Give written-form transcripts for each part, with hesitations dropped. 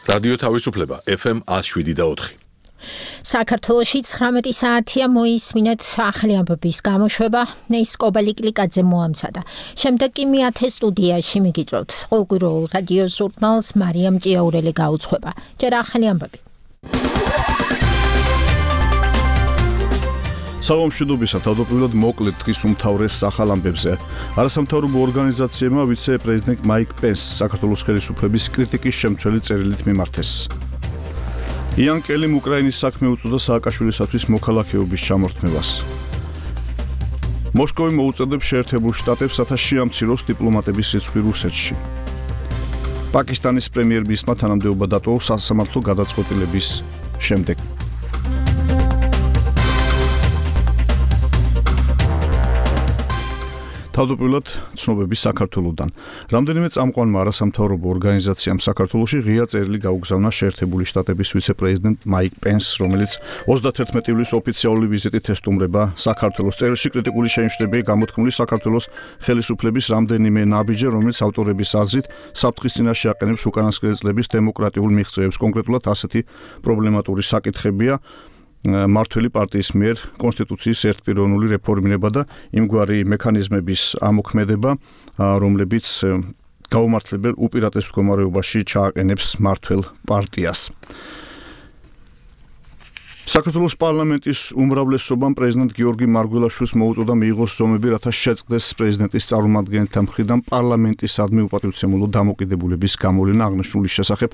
რადიო თავისუფლება FM 107.4. საქართველოში 19 საათია მოისმინეთ ახალი ამბების გამოშვება. ნეის კობალიკლიკაძე მოამცადა. შემდეგ კი მეათე სტუდიაში მიგიწევთ. ყოველკვირეულ რადიო ჟურნალს მარიამ ჭიაურელი გაუძღვება. ჯერ ახალი ამბები. საღამოშიდობისა თავდაპირველად მოკლედ დღის უმთავრეს ახალ ამბებზე. არასამთავრობო ორგანიზაციებმა ვიცე-პრეზიდენტ მაიკ პენსს საქართველოს ხელისუფლების კრიტიკის შემცველი წერილით მიმართეს. იან კელიმ უკრაინის საქმე უწოდა სააკაშვილისათვის მოქალაქეობის ჩამორთმევას. მოსკოვი მოუწოდებს შეერთებულ შტატებს, რათა შეამციროს დიპლომატების რიცხვი რუსეთში. პაკისტანის პრემიერ-მინისტრმა თანამდებობა დატოვა სასამართლო გადაწყვეტილების შემდეგ. თავდაპირველად ცნობები საქართველოდან. რამდენიმე წამყვანმა არასამთავრობო ორგანიზაციამ საქართველოში ღია წერილი გაუგზავნა შეერთებული შტატების ვიცე-პრეზიდენტ მაიკ პენსს, რომელიც 31 ივლისს ოფიციალური ვიზიტით ესტუმრება საქართველოს. წერილში კრიტიკული შენიშვნებია გამოთქმული საქართველოს ხელისუფლების რამდენიმე ნაბიჯზე, რომელიც ავტორების აზრით საფრთხის წინაშე აყენებს უკანასკნელი წლების დემოკრატიულ მიღწევებს. კონკრეტულად ასეთი პრობლემატური საკითხებია მართველი პარტიის მიერ კონსტიტუციის ერთპიროვნული რეფორმირება და იმგვარი მექანიზმების ამოქმედება, რომლებიც გაუმართლებელ უპირატეს მდგომარეობაში ჩააყენებს მართველ პარტიას. საქართველოს პარლამენტის უმრავლესობამ პრეზიდენტ გიორგი მარგველაშვილს მოუწოდა მიიღოს ზომები, რათა შეწყდეს პრეზიდენტის წარმომადგენელთა მხრიდან პარლამენტისადმი უპატივცემულო დამოკიდებულების გამოვლენა. აღნიშნული შესახებ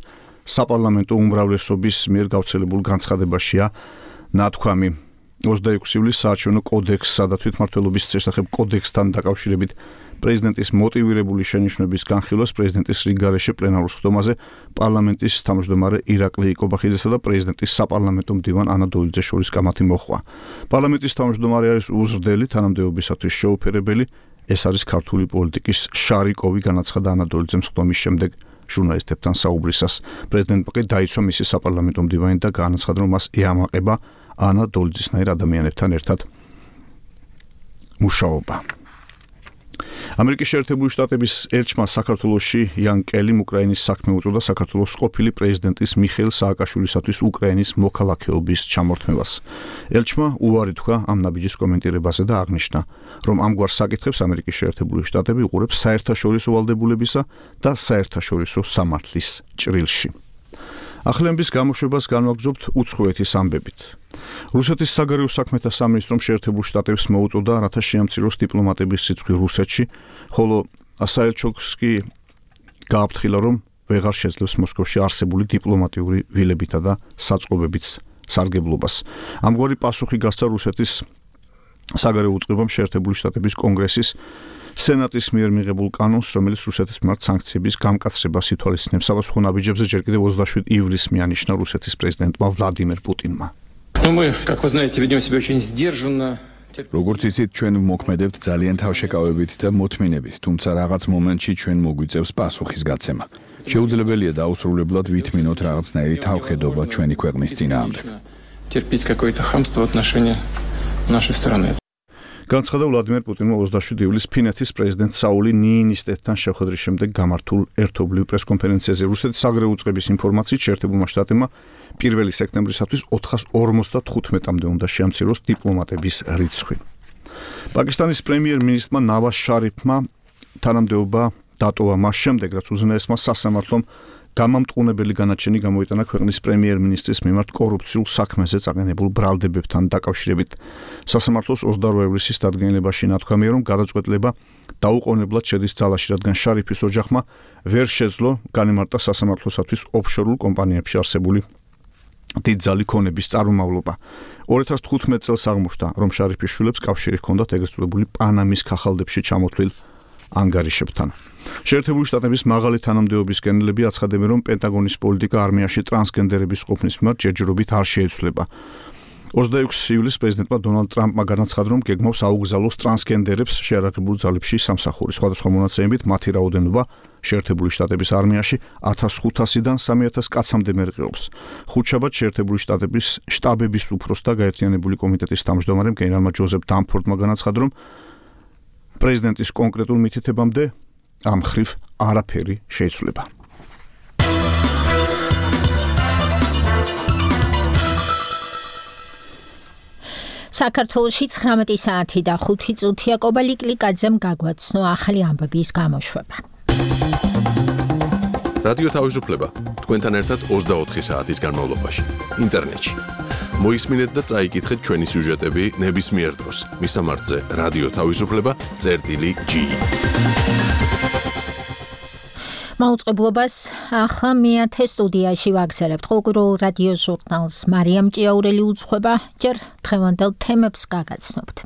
საპარლამენტო უმრავლესობის მიერ გავრცელებულ განცხადებაშია ნათქვამი. 26 ივლისს საარჩევნო კოდექსსა და თვითმმართველობის შესახებ კოდექსთან დაკავშირებით პრეზიდენტის მოტივირებული შენიშვნების განხილვას პრეზიდენტის რიგგარეშე პლენარულ სხდომაზე პარლამენტის თავმჯდომარე ირაკლი იკობახიძესა და პრეზიდენტის საპარლამენტო მდივან ანა დოლიძე შორის კამათი მოხდა. პარლამენტის თავმჯდომარე არის უზრდელი თანამდებობისათვის შეუფერებელი. ეს არის ქართული პოლიტიკის შარიკოვი, განაცხადა ანა დოლიძემ სხდომის შემდეგ ჟურნალისტებთან საუბრისას. პრეზიდენტმა კი დაიცვა მისი საპარლამენტო მდივანი და განაცხადა, რომ მას ეამაყება ანა დოლიძისნაირ ადამიანებთან ერთად მუშაობა. ამერიკის შეერთებული შტატების ელჩმა საქართველოში იან კელიმ უკრაინის საქმე უწოდა საქართველოს ყოფილი პრეზიდენტის მიხეილ სააკაშვილისათვის უკრაინის მოქალაქეობის ჩამორთმევას. ელჩმა უარი თქვა ამ ნაბიჯის კომენტირებაზე და აღნიშნა, რომ ამგვარ საკითხებს ამერიკის შეერთებული შტატები უყურებს საერთაშორისო ვალდებულებისა და საერთაშორისო სამართლის ჭრილში. ახალების გამოშვებას განვაგრძობთ უცხოეთის ამბებით. რუსეთის საგარეო საქმეთა სამინისტრომ შეერთებულ შტატებს მოუწოდა, რათა შეამციროს დიპლომატების რიცხვი რუსეთში, ხოლო საელჩოს კი გააფრთხილა, რომ ვეღარ შეძლებს მოსკოვში არსებული დიპლომატიური ვილებითა და საწყობებით სარგებლობას. ამგვარი პასუხი გასცა რუსეთის საგარეო უწყებამ შეერთებული შტატების კონგრესის სენატის მიერ მიღებულ კანონს, რომელიც რუსეთის მიმართ სანქციების გამკაცრებას ითვალისწინებს. საპასუხო ნაბიჯებზე ჯერ კიდევ 27 ივლისს მიანიშნა რუსეთის პრეზიდენტმა ვლადიმერ პუტინმა. როგორც იცით, ჩვენ ვმოქმედებთ ძალიან თავშეკავებით და მოთმინებით, თუმცა რაღაც მომენტში ჩვენ მოგვიწევს პასუხის გაცემა. შეუძლებელია დაუსრულებლად ვითმინოთ რაღაცნაირი თავხედობა ჩვენი ქვეყნის წინააღმდეგ. განცხადა ვლადიმერ პუტინმა 27 ივლისს ფინეთის პრეზიდენტ საული ნიინისტეთთან შეხვედრის შემდეგ გამართულ ერთობლივ პრესკონფერენციაზე. რუსეთის საგარეო უწყების ინფორმაციით შეერთებულმა შტატებმა 1 სექტემბრისათვის 455-მდე უნდა შეამციროს დიპლომატების რიცხვი. პაკისტანის პრემიერ-მინისტრმა ნავაზ შარიფმა თანამდებობა დატოვა მას შემდეგ, რაც უზენაესმა სასამართლომ გამამტყუნებელი განაჩენი გამოიტანა ქვეყნის პრემიერ-მინისტრის მიმართ კორუფციულ საქმეზე წაყენებულ ბრალდებებთან დაკავშირებით. სასამართლოს 28 ივლისის დადგენილებაში ნათქვამია, რომ გადაწყვეტილება დაუყოვნებლად შედის ძალაში, რადგან შარიფის ოჯახმა ვერ შეძლო განემარტა სასამართლოსათვის ოფშორულ კომპანიებში არსებული დიდძალი ქონების წარმომავლობა. 2015 წელს აღმოჩნდა, რომ შარიფის შვილებს კავშირი ჰქონდათ ეგრეთ წოდებული პანამის ქაღალდებში ჩამოთვლილ ანგარიშებთან. შეერთებული შტატების მაღალი თანამდებობის გენერლები აცხადებენ, რომ პენტაგონის პოლიტიკა არმიაში ტრანსგენდერების ყოფნის მიმართ ჯერჯერობით არ შეეცვლება. 26 ივლისს პრეზიდენტმა დონალდ ტრამპმა განაცხადა, რომ გეგმავს აუგზავნოს ტრანსგენდერებს შეარაღებულ ძალებში სამსახური. სხვადასხვა მონაცემებით მათი რაოდენობა შეერთებული შტატების არმიაში 1500-დან 3000 კაცამდე მერყეობს. ხუთშაბათს შეერთებული შტატების შტაბების უფროს და გაერთიანებული კომიტეტის თავმჯდომარემ გენერალმა ჯოზეფ დამფორდმა განაცხადა, რომ პრეზიდენტის კონკრეტულ მითითებამდე ამ ხრივ არაფერი შეიცვლება. საქართველოში 19 საათი და 5 წუთია კობალიკლიკაძემ გაგვაცნო ახალი ამბების გამოშვება. რადიო თავისუფლება თქვენთან ერთად 24 საათის განმავლობაში ინტერნეტში. მოისმინეთ და წაიკითხეთ ჩვენი სიუჟეტები ნებისმიერ დროს. მისამართზე რადიო თავისუფლება.gi. მაუწყებლობას ახლა მეათე სტუდიაში ვაგზავნებთ. ყოველკვირეულ რადიო ჟურნალს მარიამ ჭიაურელი უძღვება, ჯერ დღევანდელ თემებს გაგაცნობთ.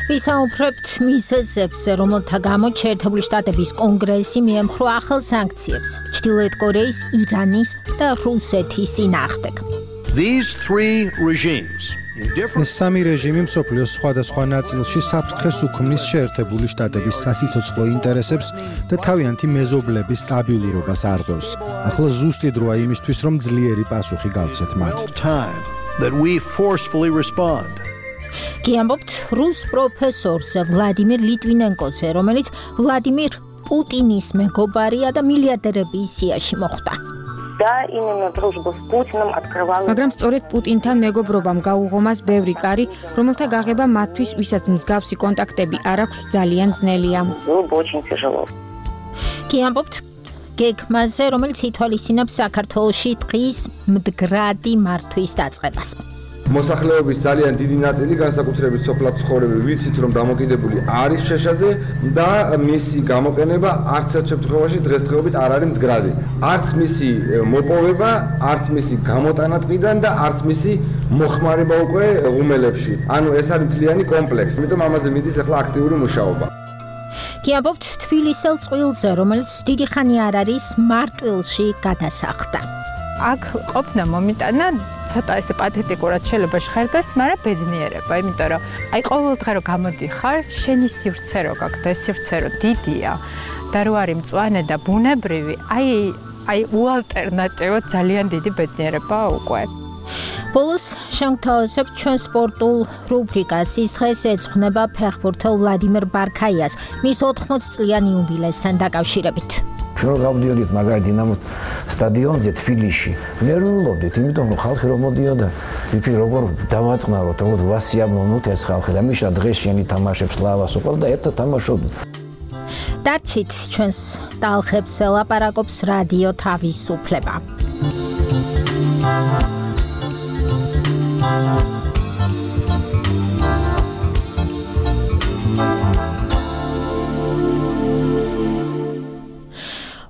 ვისაუბრებთ მიზეზებზე, რომელთა გამო შეერთებული შტატების კონგრესი მიემხრო ახალ სანქციებს ჩრდილოეთ კორეის, ირანის და რუსეთის წინააღმდეგ. ეს სამი რეჟიმი მსოფლიოს სხვადასხვა ნაწილში საფრთხეს უქმნის შეერთებული შტატების სასიცოცხლო ინტერესებს და თავიანთი მეზობლების სტაბილურობას არღვევს. ახლა ზუსტი დროა იმისთვის, რომ ძლიერი პასუხი გავცეთ მათ. გიამბობთ რუს პროფესორს ვლადიმირ ლიტვინენკოზე, რომელიც ვლადიმირ პუტინის მეგობარია და მილიარდერების სიაში მოხვდა. მაგრამ სწორედ პუტინთან მეგობრობამ გაუღომას ბევრი კარი, რომელთა გაღება მათთვის, ვისაც მსგავსი კონტაქტები არ აქვს, ძალიან ძნელია. გიამბობთ გეგმაზე, რომელიც ითვალისწინებს საქართველოში დღის მდგრადი მართვის დაწყებას. მოსახლეობის ძალიან დიდი ნაწილი, განსაკუთრებით სოფლად ცხოვრები, ვიცით, რომ დამოკიდებული არის შეშაზე და მისი გამოყენება არც ერთ შემთხვევაში დღესდღეობით არ არის მდგრადი. არც მისი მოპოვება, არც მისი გამოტანა ტყიდან და არც მისი მოხმარება უკვე ღუმელებში. ანუ ეს არის მთლიანი კომპლექსი. ამიტომ ამაზე მიდის ახლა აქტიური მუშაობა. გიამბობთ თბილისელ წყვილზე, რომელიც დიდი ხანი არ არის მარტვილში გადასახლდა. აქ ყოფნა მომიტანა ცოტა ესე პათეტიკურად შეიძლება ჟღერდეს, მაგრამ ბედნიერება, იმიტომ რომ აი ყოველ დღე რო გამოდიხარ, შენი სივრცე რო გაქვს და ეს სივრცე რო დიდია და რო არის მწვანე და ბუნებრივი, აი უალტერნატივო ძალიან დიდი ბედნიერება უკვე. ბოლოს შევთავაზებთ ჩვენ სპორტულ რუბრიკას. ის დღეს ეძღვნება ფეხბურთელ ვლადიმერ ბარქაიას მის 80 წლიანი იუბილესთან დაკავშირებით. ჩვენ გავდიოდით მაგარი დინამოს სტადიონზე თბილისში. ნერვიულობდით, იმიტომ რომ ხალხი რომ მოდიოდა, ვიფიქრე როგორ დავაწყნაროთ, როგორ ვასიამოვნოთ ეს ხალხი და მიშა დღეს შენი თამაშებს ლავას უყავ და ერთად თამაშობდით. დარჩით ჩვენს ტალხებს ლაპარაკობს რადიო თავისუფლება.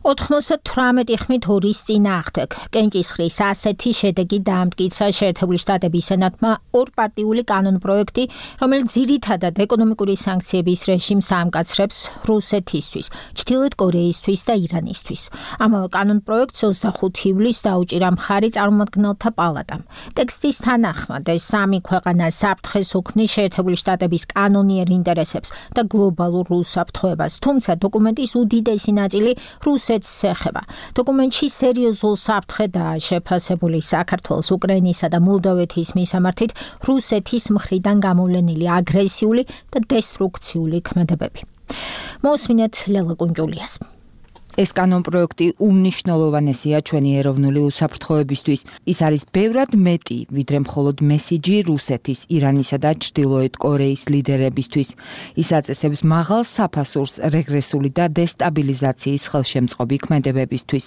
ოთხმოცდ 18 ხმით ორის წინააღმდეგ კენჭისყრის ასეთი შედეგი დაამტკიცა შეერთებული შტატების სენატმა ორპარტიული კანონპროექტი, რომელიც ძირითადად ეკონომიკური სანქციების რეჟიმს ამკაცრებს რუსეთისთვის, ჩრდილოეთ კორეისთვის და ირანისთვის. ამავე კანონპროექტს 25 ივლისს დაუჭირა მხარი წარმომადგენელთა პალატამ. ტექსტის თანახმად ეს სამი ქვეყანა საფრთხეს უქმნის შეერთებული შტატების კანონიერ ინტერესებს და გლობალურ უსაფრთხოებას, თუმცა დოკუმენტის უდიდესი ნაწილი რუსეთს ეხება. დოკუმენტში სერიოზულ საფრთხედაა შეფასებული საქართველოს, უკრაინისა და მოლდოვეთის მისამართით რუსეთის მხრიდან გამოვლენილი აგრესიული და დესტრუქციული ქმედებები. მოусმინეთ ლელა კუნჯულიას. ეს კანონპროექტი უმნიშვნელოვანესია ჩვენი ეროვნული უსაფრთხოებისთვის. ის არის ბევრად მეტი, ვიდრე მხოლოდ მესიჯი რუსეთის, ირანისა და ჩრდილოეთ კორეის ლიდერებისთვის. ის აწესებს მაღალ საფასურს რეგრესული და დესტაბილიზაციის ხელშემწყობი ქმედებებისთვის.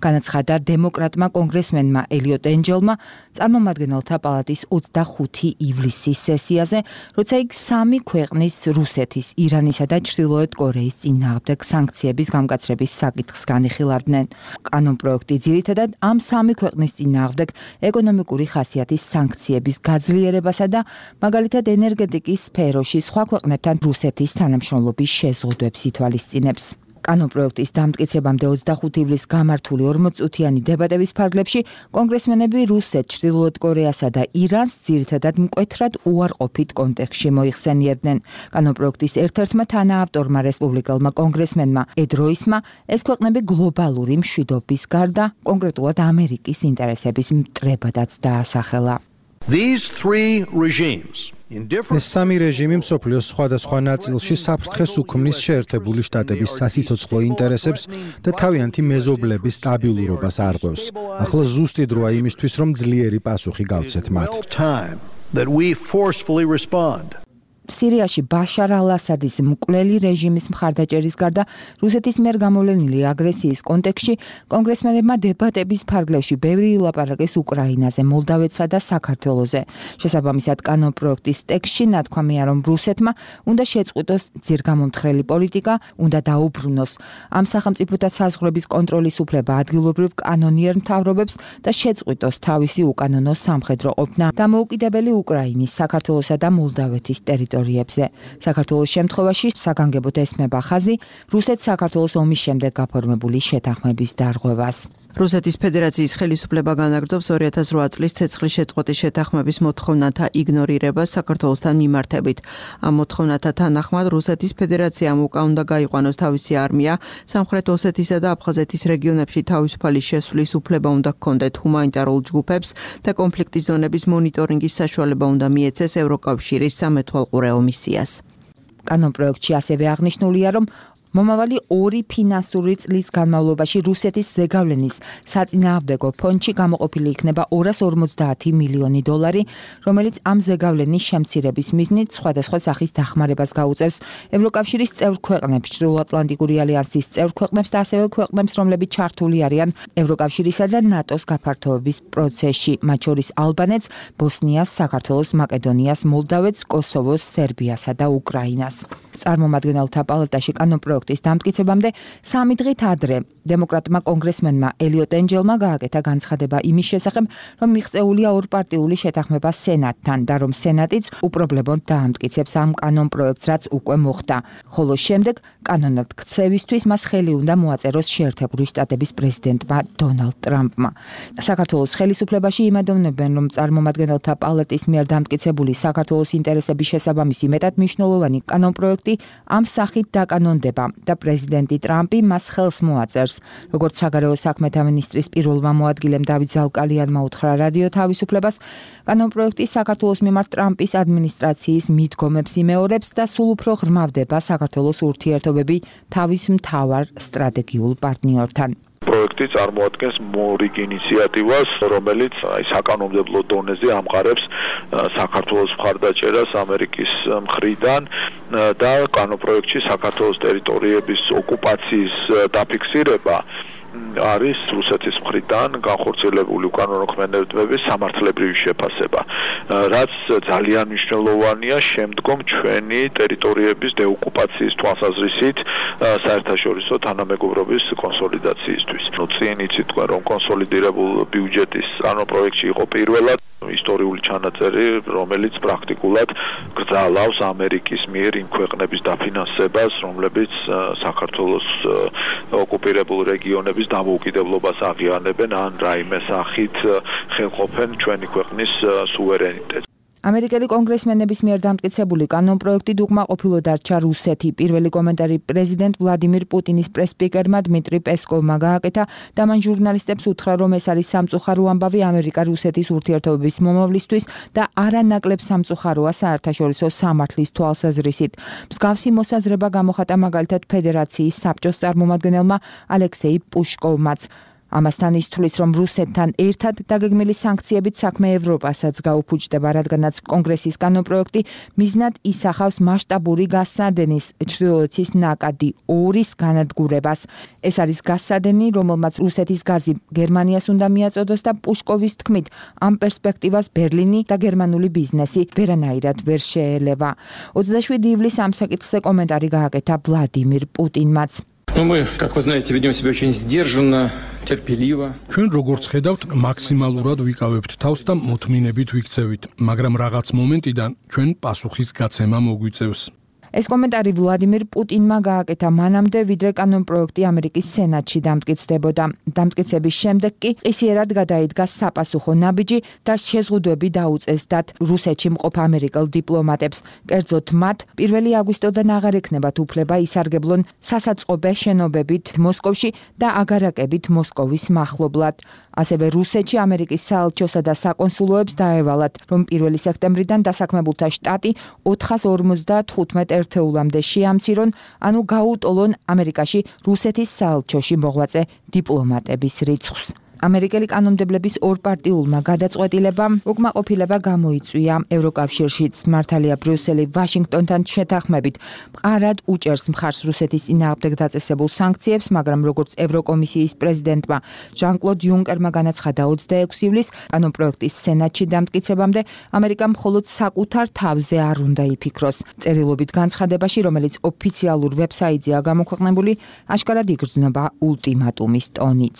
განაცხადა დემოკრატმა კონგრესმენმა ელიოტ ენჯელმა წარმომადგენელთა პალატის 25 ივლისის სესიაზე, როცა იქ სამი ქვეყნის რუსეთის, ირანისა და ჩრდილოეთ კორეის წინააღმდეგ სანქციების გამკაცრების საკითხს განიხილავდნენ. კანონპროექტი ძირითადად ამ სამი ქვეყნის წინააღმდეგ ეკონომიკური ხასიათის სანქციების გაძლიერებასა და მაგალითად ენერგეტიკის სფეროში სხვა ქვეყნებთან რუსეთის თანამშრომლობის შეზღუდვებს ითვალისწინებს. კანონპროექტის დამტკიცებამდე 25 ივლისს გამართული 40-წუთიანი დებატების ფარგლებში კონგრესმენები რუსეთ, ჩრდილოეთ კორეასა და ირანს ძირითადად მკვეთრად უარყოფით კონტექსტში მოიხსენიებდნენ. კანონპროექტის ერთ-ერთმა თანაავტორმა რესპუბლიკელმა კონგრესმენმა ედ როისმა ეს ქვეყნები გლობალური მშვიდობის გარდა კონკრეტულად ამერიკის ინტერესების მტრებადაც დაასახელა. These three regimes ეს სამი რეჟიმი მსოფლიოს სხვადასხვა ნაწილში საფრთხეს უქმნის შეერთებული შტატების სასიცოცხლო ინტერესებს და თავიანთი მეზობლების სტაბილურობას არღვევს. ახლა ზუსტი დროა იმისთვის, რომ ძლიერი პასუხი გავცეთ მათ. სირიაში ბაშარ ალ-ასადის მკვლელი რეჟიმის მხარდაჭერის გარდა რუსეთის მიერ გამოვლენილი აგრესიის კონტექსტში კონგრესმენებმა დებატების ფარგლებში ბევრი ილაპარაკეს უკრაინაზე, მოლდავეთსა და საქართველოზე. შესაბამისად კანონპროექტის ტექსტში ნათქვამია, რომ რუსეთმა უნდა შეწყვიტოს ძირგამომთხრელი პოლიტიკა, უნდა დაუბრუნოს ამ სახელმწიფოთა საზღვრების კონტროლის უფლება ადგილობრივ კანონიერ მთავრობებს და შეწყვიტოს თავისი უკანონო სამხედრო ყოფნა დამოუკიდებელი უკრაინის, საქართველოსა და მოლდავეთის ტერიტორიებზე. საქართველოს შემთხვევაში საგანგებოდ ესმება ხაზი რუსეთ-საქართველოს ომის შემდეგ გაფორმებული შეთანხმების დარღვევას. რუსეთის ფედერაციის ხელისუფლება განაგრძობს 2008 წლის ცეცხლის შეწყვეტის შეთანხმების მოთხოვნათა იგნორირებას საქართველოსთან მიმართებით. ამ მოთხოვნათა თანახმად რუსეთის ფედერაციამ უკან უნდა გაიყვანოს თავისი არმია, სამხრეთ ოსეთისა და აფხაზეთის რეგიონებში თავისუფალი შესვლის უფლება უნდა ჰქონდეთ ჰუმანიტარულ ჯგუფებს და კონფლიქტის ზონების მონიტორინგის საშუალება უნდა მიეცეს ევროკავშირის სამეთვალყურეო მისიას. კანონპროექტში ასევე აღნიშნულია, რომ მომავალი 2 ფინანსური წლის განმავლობაში რუსეთის ზეგავლენის საწინააღმდეგო ფონდში გამოყოფილი იქნება $250 მილიონი, რომელიც ამ ზეგავლენის შემცირების მიზნით სხვადასხვა სახის დახმარებას გაუწევს ევროკავშირის წევრ ქვეყნებს, ჩრდილოატლანტიკური ალიანსის წევრ ქვეყნებს და ასევე ქვეყნებს, რომლებიც ჩართული არიან ევროკავშირისა და ნატოს გაფართოების პროცესში, მათ შორის ალბანეთს, ბოსნიას, საქართველოს, მაკედონიას, მოლდავეთს, კოსოვოს, სერბიასა და უკრაინას. წარმომადგენელთა პალატაში კანონპროექტის დამტკიცებამდე 3 დღით ადრე დემოკრატმა კონგრესმენმა ელიოტ ენჯელმა გააკეთა განცხადება იმის შესახებ, რომ მიღწეულია ორპარტიული შეთანხმება სენატთან და რომ სენატიც უპრობლემოდ დაამტკიცებს ამ კანონპროექტს, რაც უკვე მოხდა. ხოლო შემდეგ კანონად ქცევისთვის მას ხელი უნდა მოაწეროს შეერთებული შტატების პრეზიდენტმა დონალდ ტრამპმა. საქართველოს ხელისუფლებაში იმედოვნებენ, რომ წარმომადგენელთა პალატის მიერ დამტკიცებული საქართველოს ინტერესების შესაბამისი მეტად მნიშვნელოვანი კანონპროექტი ამ სახით დაკანონდება და პრეზიდენტი ტრამპი მას ხელს მოაწერს. როგორც საგარეო საქმეთა მინისტრის პირველმა მოადგილემ დავით ზალკალიანმა უთხრა რადიო თავისუფლებას, კანონპროექტი საქართველოს მიმართ ტრამპის ადმინისტრაციის მიდგომებს იმეორებს და სულ უფრო ღრმავდება საქართველოს ურთიერთობები თავის მთავარ სტრატეგიულ პარტნიორთან. პროექტი წარმოადგენს მორიგ ინიციატივას, რომელიც საკანონმდებლო დონეზე ამყარებს საქართველოს მხარდაჭერას ამერიკის მხრიდან და კანონპროექტში საქართველოს ტერიტორიების ოკუპაციის დაფიქსირება არის რუსეთის მხრიდან განხორციელებული უკანონო ქმედებების სამართლებრივი შეფასება, რაც ძალიან მნიშვნელოვანია შემდგომ ჩვენი ტერიტორიების დეოკუპაციის თვალსაზრისით საერთაშორისო თანამეგობრობის კონსოლიდაციისთვის. წინ იცით, რომ კონსოლიდირებულ ბიუჯეტის კანონპროექტში იყო პირველად ისტორიული ჩანაწერი, რომელიც პრაქტიკულად გრძალავს ამერიკის მიერ იმ ქვეყნების დაფინანსებას, რომლებიც საქართველოს ოკუპირებულ რეგიონების დამოუკიდებლობას აღიარებენ ან რაიმე სახით ხელყოფენ ჩვენი ქვეყნის სუვერენიტეტს. ამერიკელი კონგრესმენების მიერ დამტკიცებული კანონპროექტი უკმაყოფილო დარჩა რუსეთი. პირველი კომენტარი პრეზიდენტ ვლადიმირ პუტინის პრესპიკერმა დმიტრი პესკოვმა გააკეთა და მან ჟურნალისტებს უთხრა, რომ ეს არის სამწუხარო ამბავი ამერიკა-რუსეთის ურთიერთობების მომავლისთვის და არანაკლებ სამწუხაროა საერთაშორისო სამართლის თვალსაზრისით. მსგავსი მოსაზრება გამოხატა მაგალითად ფედერაციის საბჭოს წარმომადგენელმა ალექსეი პუშკოვმაც. ამასთან ის თვლის, რომ რუსეთთან ერთად დაგეგმილი სანქციებით საქმე ევროპასაც გაუფუჭდება, რადგანაც კონგრესის კანონპროექტი მიზნად ისახავს მასშტაბური გასადენის ჩრდილოეთის ნაკადი 2-ის განადგურებას. ეს არის გასადენი, რომელმაც რუსეთის გაზი გერმანიას უნდა მიაწოდოს და პუშკოვის თქმით, ამ პერსპექტივას ბერლინი და გერმანული ბიზნესი ვერანაირად ვერ შეელევა. 27 ივლისს ამ საკითხზე კომენტარი გააკეთა ვლადიმირ პუტინმაც. Мы, как вы знаете, ведем себя очень сдержанно, терпеливо. ჩვენ როგორც ხედავთ, მაქსიმალურად ვიკავებთ თავს და მოთმინებით ვიქცევით, მაგრამ რაღაც მომენტიდან ჩვენ პასუხის გაცემა მოგვიწევს. ეს კომენტარი ვლადიმირ პუტინმა გააკეთა მანამდე, ვიდრე კანონპროექტი ამერიკის სენატში დამტკიცდებოდა. დამტკიცების შემდეგ კი ყისიერად გადაიდგა საპასუხო ნაბიჯი და შეზღუდვები დაუწეს დათ რუსეთში მყოფ ამერიკელ დიპლომატებს. კერძოდ მათ 1 აგვისტოდან აღარ ექნებათ უფლება ისარგებლონ სასაწყობე შენობებით მოსკოვში და აგარაკებით მოსკოვის მახლობლად. ასევე რუსეთში ამერიკის საელჩოსა და საკონსულოებს დაევალათ, რომ 1 სექტემბრიდან დასაქმებულთა შტატი 455 ერთეულამდე შეამცირონ, ანუ გაუტოლონ ამერიკაში რუსეთის საელჩოში მოღვაწე დიპლომატების რიცხვს. ამერიკელი კანონმდებლების ორპარტიულმა გადაწყვეტილებამ უკმაყოფილება გამოიწვია. ევროკავშირშიც მართალია ბრიუსელი ვაშინგტონთან შეთანხმებით მყარად უჭერს მხარს რუსეთის წინააღმდეგ დაწესებულ სანქციებს, მაგრამ როგორც ევროკომისიის პრეზიდენტმა ჟან-კლოდ იუნკერმა განაცხადა 26 ივლისს, კანონპროექტის სენატში დამტკიცებამდე ამერიკამ მხოლოდ საკუთარ თავზე არ უნდა იფიქროს. წერილობით განცხადებაში, რომელიც ოფიციალურ ვებსაიტზეა გამოქვეყნებული, აშკარად იგრძნობა ულტიმატუმის ტონიც.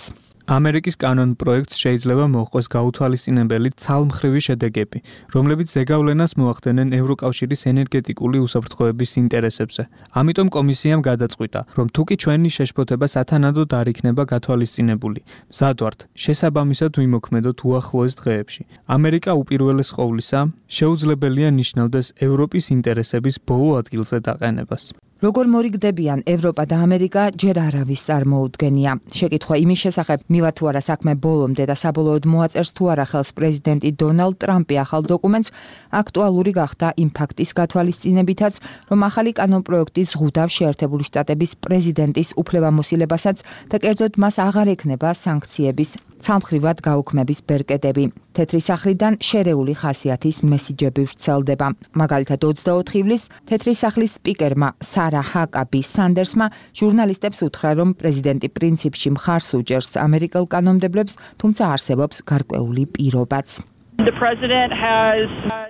ამერიკის კანონ პროექტს შეიძლება მოჰყოს გაუთვალისწინებელი ცალმხრივი შედეგები, რომლებიც ზეგავლენას მოახდენენ ევროკავშირის ენერგეტიკული უსაფრთხოების ინტერესებზე. ამიტომ კომისიამ გადაწყვიტა, რომ თუკი ჩვენი შეშფოთება სათანადოდ არ იქნება გათვალისწინებული, მზად ვართ შესაბამისად ვიმოქმედოთ უახლოეს დღეებში. ამერიკა უპირველეს ყოვლისა შეუძლებელია ნიშნავდეს ევროპის ინტერესების ბოლო ადგილზე დაყენებას. როგორ მორიგდებიან ევროპა და ამერიკა ჯერ არავის წარმოუდგენია. შეკითხვა იმის შესახებ, მივა თუ არა საქმე ბოლომდე და საბოლოოდ მოაწერს თუ არა ხელს პრეზიდენტი დონალდ ტრამპი ახალ დოკუმენტს, აქტუალური გახდა იმ ფაქტის გათვალისწინებითაც, რომ ახალი კანონპროექტი ზღუდავს შეერთებული შტატების პრეზიდენტის უფლებამოსილებასაც და კერძოდ მას აღარ ექნება სანქციების ცალმხრივად გაუქმების ბერკეტები. თეთრი სახლიდან შერეული ხასიათის მესიჯები ვრცელდება. მაგალითად 24 ივლისს თეთრი სახლის სპიკერმა სარა ჰაკაბი სანდერსმა ჟურნალისტებს უთხრა, რომ პრეზიდენტი პრინციპში მხარს უჭერს ამერიკელ კანონმდებლებს, თუმცა არსებობს გარკვეული პირობაც.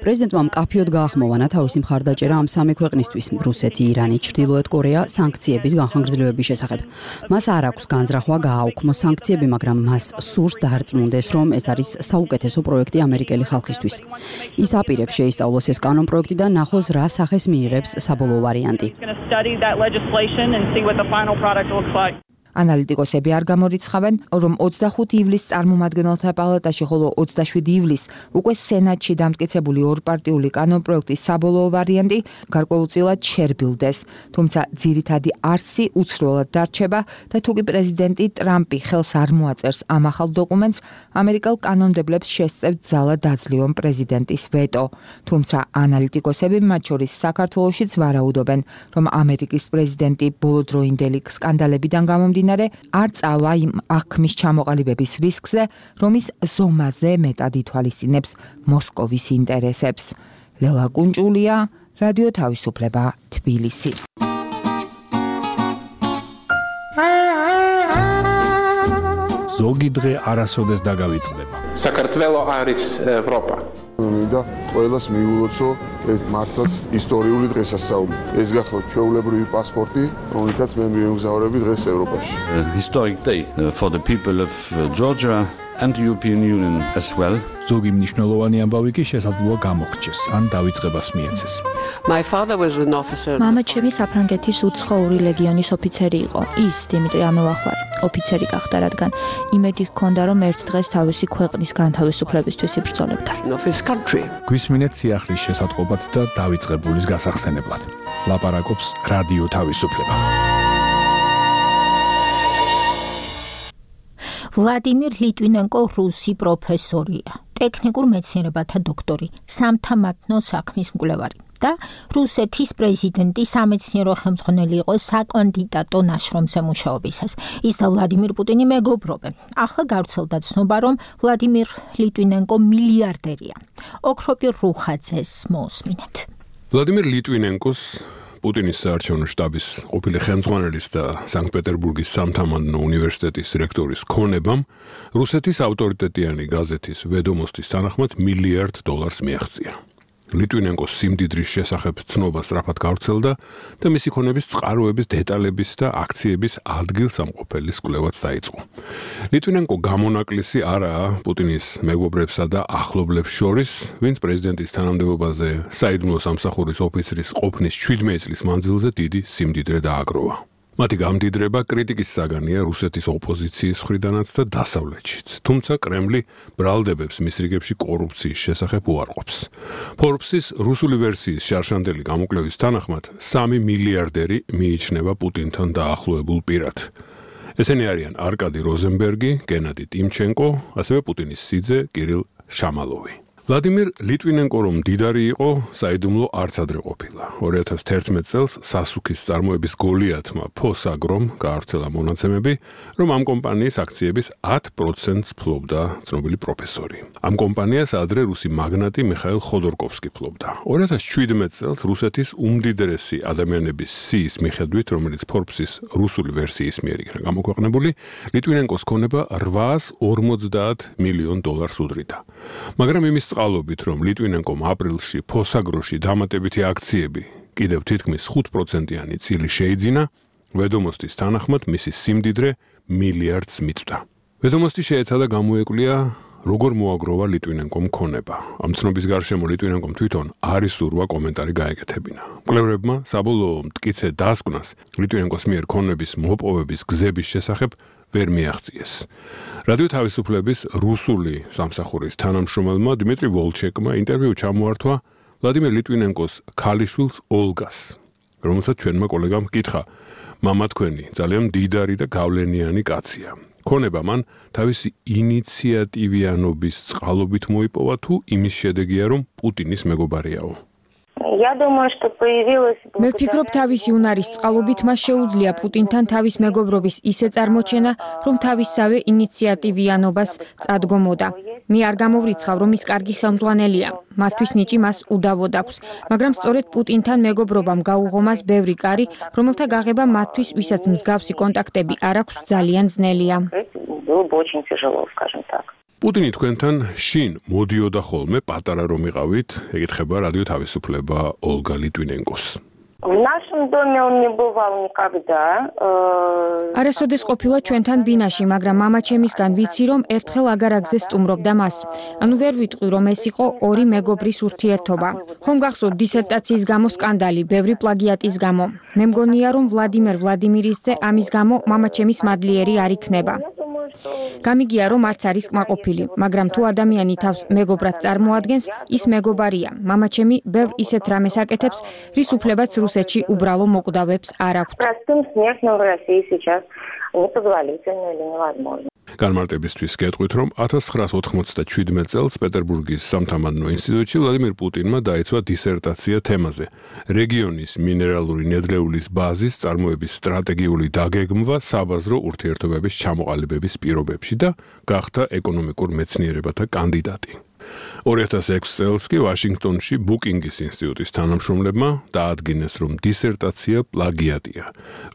პრეზიდენტმა მკაფიოდ გაახმოვანა თავისი მხარდაჭერა ამ სამი ქვეყნისთვის, რუსეთი, ირანი, ჩრდილოეთ კორეა, სანქციების განხორციელების შესახებ. მას არ აქვს განზრახვა გააუქმოს სანქციები, მაგრამ მას სურს დაარწმუნდეს, რომ ეს არის საუკეთესო პროექტი ამერიკელი ხალხისთვის. ის აპირებს შეისწავლოს ეს კანონპროექტი და ნახოს რა სახეს მიიღებს საბოლოო ვარიანტი. ანალიტიკოსები არ გამორიცხავენ, რომ 25 ივლისს წარმომადგენელთა პალატაში, ხოლო 27 ივლისს უკვე სენატში დამტკიცებული ორპარტიული კანონპროექტის საბოლოო ვარიანტი გარკვეულწილად შერბილდეს. თუმცა ძირითადი არსი უცვლელად დარჩება და თუკი პრეზიდენტი ტრამპი ხელს არ მოაწერს ამ ახალ დოკუმენტს, ამერიკელ კანონმდებლებს შესწევთ ძალა დაძლიონ პრეზიდენტის ვეტო. თუმცა ანალიტიკოსები, მათ შორის საქართველოშიც ვარაუდობენ, რომ ამერიკის პრეზიდენტი ბოლოდროინდელი სკანდალებიდან გამომდინარე არ წავა იმ აღქმის ჩამოყალიბების რისკზე, რომ ის ზომაზე მეტად ითვალისწინებს მოსკოვის ინტერესებს. ლელა კუნჭულია, რადიო თავისუფლება, თბილისი. ზოგი დღე არასოდეს დაგავიწყდება. საქართველო არის ევროპა. მინდა ყველას მიულოცო ეს მართლაც ისტორიული დღესასწაული. ეს გახლავთ ჩვეულებრივი პასპორტი, რომელთაც მე მივემგზავრები დღეს ევროპაში. Historic day for the people of Georgia and the European Union as well. ზოგი მნიშვნელოვანი ამბავი კი შესაძლოა გამოგრჩეს, ან დავიწყებას მიეცეს. My father was an officer. მამა ჩემი საფრანგეთის უცხოური ლეგიონის ოფიცერი იყო. ის დიმიტრი ამელახვარი ოფიცერი გახდა, რადგან იმედი ჰქონდა, რომ ერთ დღეს თავისი ქვეყნის განთავისუფლებისთვის იბრძოლებდა. გვისმინეთ სიახლის შესატყობად და დავიწყებულის გასახსენებლად. ლაპარაკობს რადიო თავისუფლება. ვლადიმირ ლიტვინენკო რუსი პროფესორია, ტექნიკურ მეცნიერებათა დოქტორი, სამთამათნო საქმის მკვლევარი და რუსეთის პრეზიდენტი სამეცნიერო ხელმძღვანელი იყო საკანდიდატო ნაშრომზე მუშაობისას. ის და ვლადიმირ პუტინი მეგობრობენ. ახლა გავრცელდა ცნობა, რომ ვლადიმირ ლიტვინენკო მილიარდერია. ოქროპირ რუხაძეს მოусმინეთ. ვლადიმირ ლიტვინენკოს პუტინის საარჩევნო შტაბის ყოფილი ხელმძღვანელის და სანქტ-პეტერბურგის სამთამადნო უნივერსიტეტის რექტორის ქონებამ რუსეთის ავტორიტეტიანი გაზეთის ვედომოსტის თანახმად $1 მილიარდ მიაღწია. ლიტვინენკოს სიმდიდრის შესახებ ცნობა სწრაფად გავრცელდა და მისი ქონების წყაროების დეტალების და აქციების ადგილსამყოფელის კვლევაც დაიწყო. ლიტვინენკო გამონაკლისი არაა პუტინის მეგობრებსა და ახლობლებს შორის, ვინც პრეზიდენტის თანამდებობაზე საიდუმლო სამსახურის ოფიცრის ყოფნის 17 წლის მანძილზე დიდი სიმდიდრე დააგროვა. მათი გამდიდრება კრიტიკის საგანია რუსეთის ოპოზიციის მხრიდანაც და დასავლეთშიც, თუმცა კრემლი ბრალდებებს მის რიგებში კორუფციის შესახებ უარყოფს. Forbes-ის რუსული ვერსიის შარშანდელი გამოკვლევის თანახმად 3 მილიარდერი მიიჩნევა პუტინთან დაახლოებულ პირად. ესენი არიან არკადი როზენბერგი, გენადი ტიმჩენკო, ასევე პუტინის სიძე კირილ შამალოვი. ვლადიმირ ლიტვინენკო რომ მდიდარი იყო, საიდუმლო არც ადრე ყოფილა. 2011 წელს სასუქის წარმოების გოლიათმა ფოსაგრომ გაავრცელა მონაცემები, რომ ამ კომპანიის აქციების 10%-ს ფლობდა ცნობილი პროფესორი. ამ კომპანიას ადრე რუსი მაგნატი მიხაილ ხოდორკოვსკი ფლობდა. 2017 წელს რუსეთის უმდიდრესი ადამიანების სიის მიხედვით, რომელიც Forbes-ის რუსული ვერსიის მიერ იქნა გამოქვეყნებული, ლიტვინენკოს ქონება $850 მილიონ უდრიდა. მაგრამ იმის წყალობით, რომ ლიტვინენკომ აპრილში ფოსაგროში დამატებითი აქციები კიდევ თითქმის 5%-იანი წილი შეიძინა, ვედომოსტის თანახმად მისი სიმდიდრე მილიარდს მიწვდა. ვედომოსტი შეეცადა გამოეკვლია, როგორ მოაგროვა ლიტვინენკომ ქონება. ამ ცნობის გარშემო ლიტვინენკომ თვითონ არ ისურვა კომენტარი გაეკეთებინა. მკვლევრებმა საბოლოო მტკიცე დასკვნას ლიტვინენკოს მიერ ქონების მოპოვების გზების შესახებ ვერ მიაღწიეს. რადიო თავისუფლების რუსული სამსახურის თანამშრომელმა დიმიტრი ვოლჩეკმა ინტერვიუ ჩამოართვა ვლადიმერ ლიტვინენკოს ქალიშვილს ოლგას, რომელსაც ჩვენმა კოლეგამ ჰკითხა: მამა თქვენი ძალიან მდიდარი და გავლენიანი კაცია. ქონება მან თავისი ინიციატივიანობის წყალობით მოიპოვა თუ იმის შედეგია, რომ პუტინის მეგობარიაო? მე ვფიქრობ, თავისი უნარის წყალობით მას შეუძლია პუტინთან თავის მეგობრობის ისე წარმოჩენა, რომ თავისსავე ინიციატივიანობას წადგომოდა. მე არ გამოვრიცხავ, რომ ის კარგი ხელმძღვანელია. მათთვის ნიჭი მას უდავოდ აქვს, მაგრამ სწორედ პუტინთან მეგობრობამ გაუღო მას ბევრი კარი, რომელთა გაღება მათთვის, ვისაც მსგავსი კონტაქტები არ აქვს, ძალიან ძნელია. პუტინი თქვენთან შინ მოდიოდა ხოლმე პატარა რომ იყავით, ეკითხება რადიო თავისუფლება ოლგა ლიტვინენკოს. არასოდეს ყოფილა ჩვენთან ბინაში, მაგრამ მამაჩემისგან ვიცი, რომ ერთხელ აგარაგზე სტუმრობდა მას. ანუ ვერ ვიტყვი, რომ ეს იყო ორი მეგობრის ურთიერთობა. ხომ გახსოვთ დისერტაციის გამო სკანდალი, ბევრი პლაგიატის გამო. მე მგონია, რომ ვლადიმერ ვლადიმირისძე ამის გამო მამაჩემის მადლიერი არ იქნება. გამიგია, რომ არც არის კმაყოფილი, მაგრამ თუ ადამიანი თავს მეგობრად წარმოადგენს, ის მეგობარია. მამაჩემი ბევრ ისეთ რამეს აკეთებს, რის უფლებაც რუსეთში უბრალო მოკვდავებს არ აქვთ. განმარტებისთვის გეტყვით, რომ 1997 წელს პეტერბურგის სამთამადნო ინსტიტუტში ვლადიმირ პუტინმა დაიცვა დისერტაცია თემაზე: რეგიონის მინერალური ნედლეულის ბაზის წარმოების სტრატეგიული დაგეგმვა საბაზრო ურთიერთობების ჩამოყალიბების პირობებში და გახდა ეკონომიკურ მეცნიერებათა კანდიდატი. 2006 წელს კი ვაშინგტონში ბუკინგის ინსტიტუტის თანამშრომლებმა დაადგინეს, რომ დისერტაცია პლაგიატია,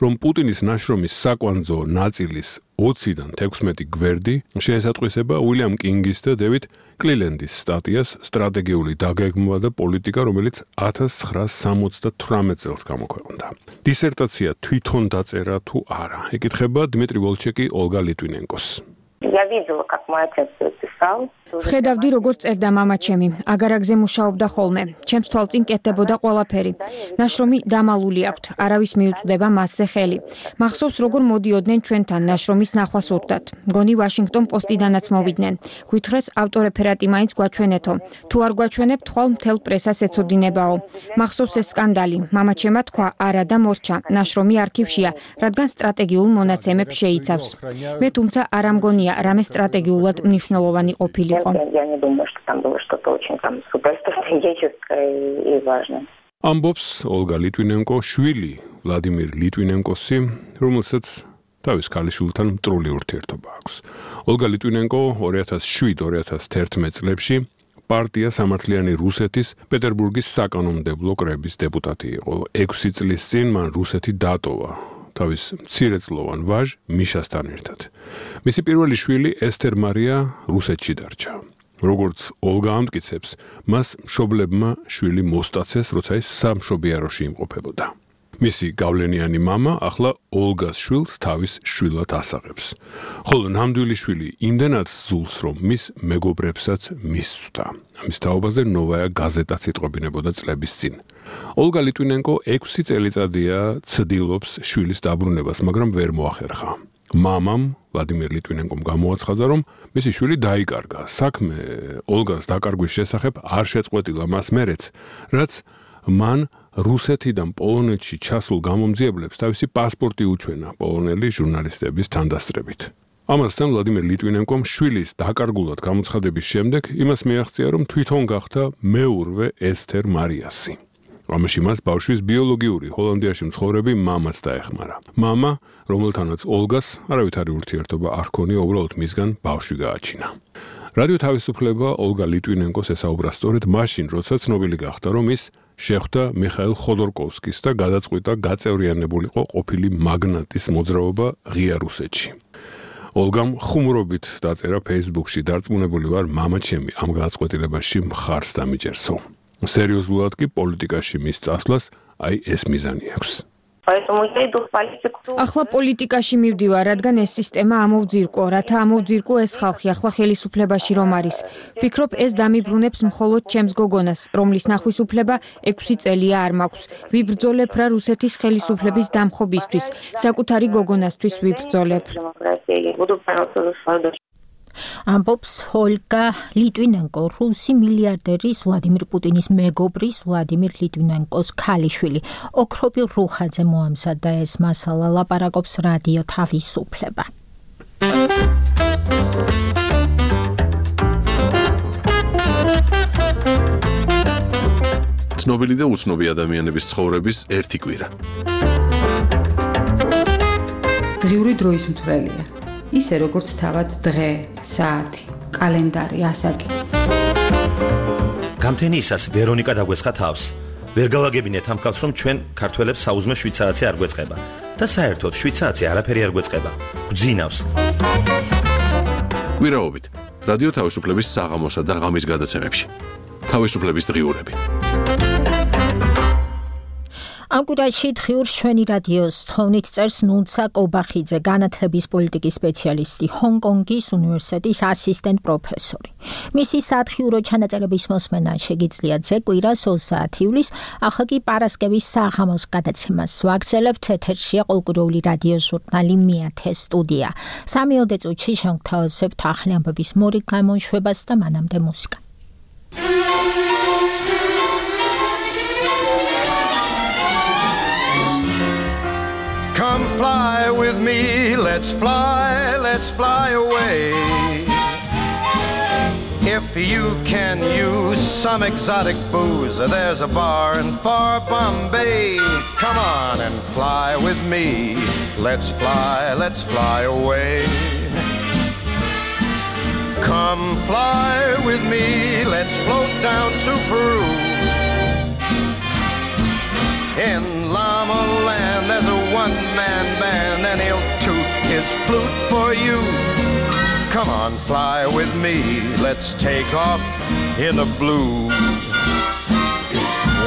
რომ პუტინის ნაშრომის საკვანძო ნაწილის 20-დან 16 გვერდი შეესატყვისება უილიამ კინგის და დევიდ კლილენდის სტატიას სტრატეგიული დაგეგმვა და პოლიტიკა, რომელიც 1978 წელს გამოქვეყნდა. დისერტაცია თვითონ დაწერა თუ არა, ეკითხება დიმიტრი ვოლჩეკი ოლგა ლიტვინენკოს. ვხედავდი, როგორც წერდა მამაჩემი, აგარაგზე მუშაობდა ხოლმე. ჩემს თვალწინ კეთდებოდა ყველაფერი. ნაშრომი დამალული აქვთ, არავის მიუწვდება მასზე ხელი. მახსოვს, როგორ მოდიოდნენ ჩვენთან ნაშრომის ნახვა სურდათ. მგონი ვაშინგტონ პოსტიდანაც მოვიდნენ. გვითხრეს ავტორეფერატი მაინც გვაჩვენეთო. თუ არ გვაჩვენებ, თვალ მთელ პრესას ეცოდინებაო. მახსოვს ეს სკანდალი. მამაჩემა თქვა, არა და მორჩა. ნაშრომი არქივშია, რადგან სტრატეგიულ მონაცემებს შეიცავს. მე თუმცა არ ამგონია, რამე სტრატეგიულად მნიშვნელოვანი ყოფილიყო. ამბობს ოლგა ლიტვინენკო შვილი ვლადიმირ ლიტვინენკოსი, რომელსაც თავის ქალიშვილთან მტრული ურთიერთობა აქვს. ოლგა ლიტვინენკო 2007-2011 წლებში პარტია სამართლიანი რუსეთის პეტერბურგის საკანონმდებლო კრების დეპუტატი იყო. 6 წლის წინ მან რუსეთი დატოვა თავის მცირეწლოვან ვაჟ მიშასთან ერთად. მისი პირველი შვილი ესთერ მარია რუსეთში დარჩა. როგორც ოლგა ამტკიცებს, მას მშობლებმა შვილი მოსტაცეს, როცა ის სამშობიაროში იმყოფებოდა. მისი გავლენიანი მამა ახლა ოლგას შვილს თავის შვილად ასაღებს. ხოლო ნამდვილი შვილი იმდენად ზულს, რომ მის მეგობრებსაც მისწვდა. ამის თაობაზე ნოვაია გაზეტაც იტყობინებოდა წლების წინ. ოლგა ლიტვინენკო 6 წელიწადია ცდილობს შვილის დაბრუნებას, მაგრამ ვერ მოახერხა. მამამ ვლადიმერ ლიტვინენკომ გამოაცხადა, რომ მისი შვილი დაიკარგა. საქმე ოლგას დაკარგვის შესახებ არ შეწყვეტილა მას მერეც, რაც მან რუსეთიდან პოლონეთში ჩასულ გამომძიებლებს თავისი პასპორტი უჩვენა პოლონელი ჟურნალისტების თანდასწრებით. ამასთან ვლადიმერ ლიტვინენკომ შვილის დაკარგულად გამოცხადების შემდეგ იმას მიაღწია, რომ თვითონ გახდა მეურვე ესთერ მარიასი. ამაში მას ბავშვის ბიოლოგიური ჰოლანდიაში მცხოვრები მამაც დაეხმარა. მამა, რომელთანაც ოლგას არავითარი ურთიერთობა არ ჰქონია, უბრალოდ მისგან ბავშვი გააჩინა. რადიო თავისუფლება ოლგა ლიტვინენკოს ესაუბრა სწორედ მაშინ, როცა ცნობილი გახდა, რომ ის შეხვდა მიხაილ ხოდორკოვსკის და გადაწყვიტა გაწევრიანებულიყო ყოფილი მაგნატის მოძრაობა ღია რუსეთში. ოლგამ ხუმრობით დაწერა Facebook-ში, დარწმუნებული ვარ, მამა ჩემი ამ გადაწყვეტილებაში მხარს დამიჯერსო. სერიოზულად კი პოლიტიკაში მის წასვლას აი ეს მიზანი აქვს. ახლა პოლიტიკაში მივდივარ, რადგან ეს სისტემა ამოვძირკო, რათა ამოვძირკო ეს ხალხი ახლა ხელისუფლებაში რომ არის. ვფიქრობ, ეს დამიბრუნებს მხოლოდ ჩემს გოგონას, რომლის ნახვის უფლება 6 წელია არ მაქვს. ვიბრძოლებ რა რუსეთის ხელისუფლების დამხობისთვის, საკუთარი გოგონასთვის ვიბრძოლებ. ამბობს ოლგა ლიტვინენკო, რუსი მილიარდერის ვლადიმირ პუტინის მეგობრის ვლადიმირ ლიტვინენკოს ქალიშვილი. ოქრობილ რუხაძე მოამზადა ეს მასალა, ლაპარაკობს რადიო თავისუფლება. ცნობილი და უცნობი ადამიანების ცხოვრების ერთი კვირა. დღიური დროის მთვრელია. ისე როგორც თავად დღე, საათი, კალენდარი, ასაკი. გამთენიისას ვერონიკა დაგვესხა თავს. ვერ გავაგებინეთ ამ ხალხს, რომ ჩვენ ქართველებს საუზმე 7 საათი არ გვეწყება და საერთოდ 7 საათი არაფერი არ გვეწყება. გვძინავს. კვირაობით რადიო თავისუფლების საღამოსა და ღამის გადაცემებში. თავისუფლების დღიურები. ამ კვირაში დღიურს ჩვენი რადიოს თხოვნით წერს ნუნცა კობახიძე, განათლების პოლიტიკის სპეციალისტი, ჰონკონგის უნივერსიტეტის ასისტენტ პროფესორი. მისი სათხიურო ჩანაწერების მოსმენა შეგიძლიათ კვირას 20 ივლისს, ახლა კი პარასკევის საღამოს გადაცემას ვაგრძელებთ. ეთერშია ყოველკვირეული რადიო ჟურნალი მეათე სტუდია. 3 წუთში შევთავაზებთ ახალი ამბების მორიგ გამოშვებას და მანამდე მუსიკა. Come fly with me, let's fly away. If you can use some exotic booze, there's a bar in far Bombay. Come on and fly with me, let's fly away. Come fly with me, let's float down to Peru. In Llama Land, there's a one-man band, and he'll toot his flute for you. Come on, fly with me, let's take off in the blue.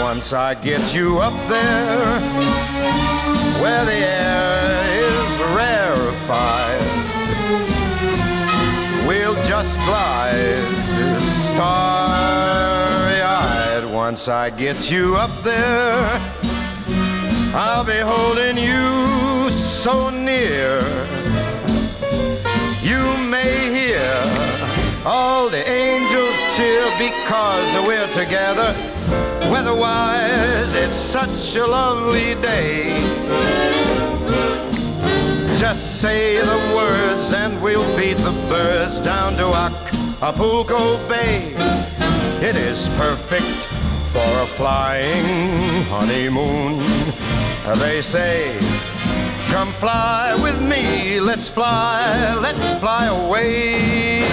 Once I get you up there, where the air is rarefied, we'll just glide starry-eyed. Once I get you up there, I'll be holding you so near. You may hear all the angels cheer because we're together. Weather-wise, it's such a lovely day. Just say the words and we'll beat the birds down to Acapulco Bay. It is perfect for a flying honeymoon. They say, come fly with me, let's fly away.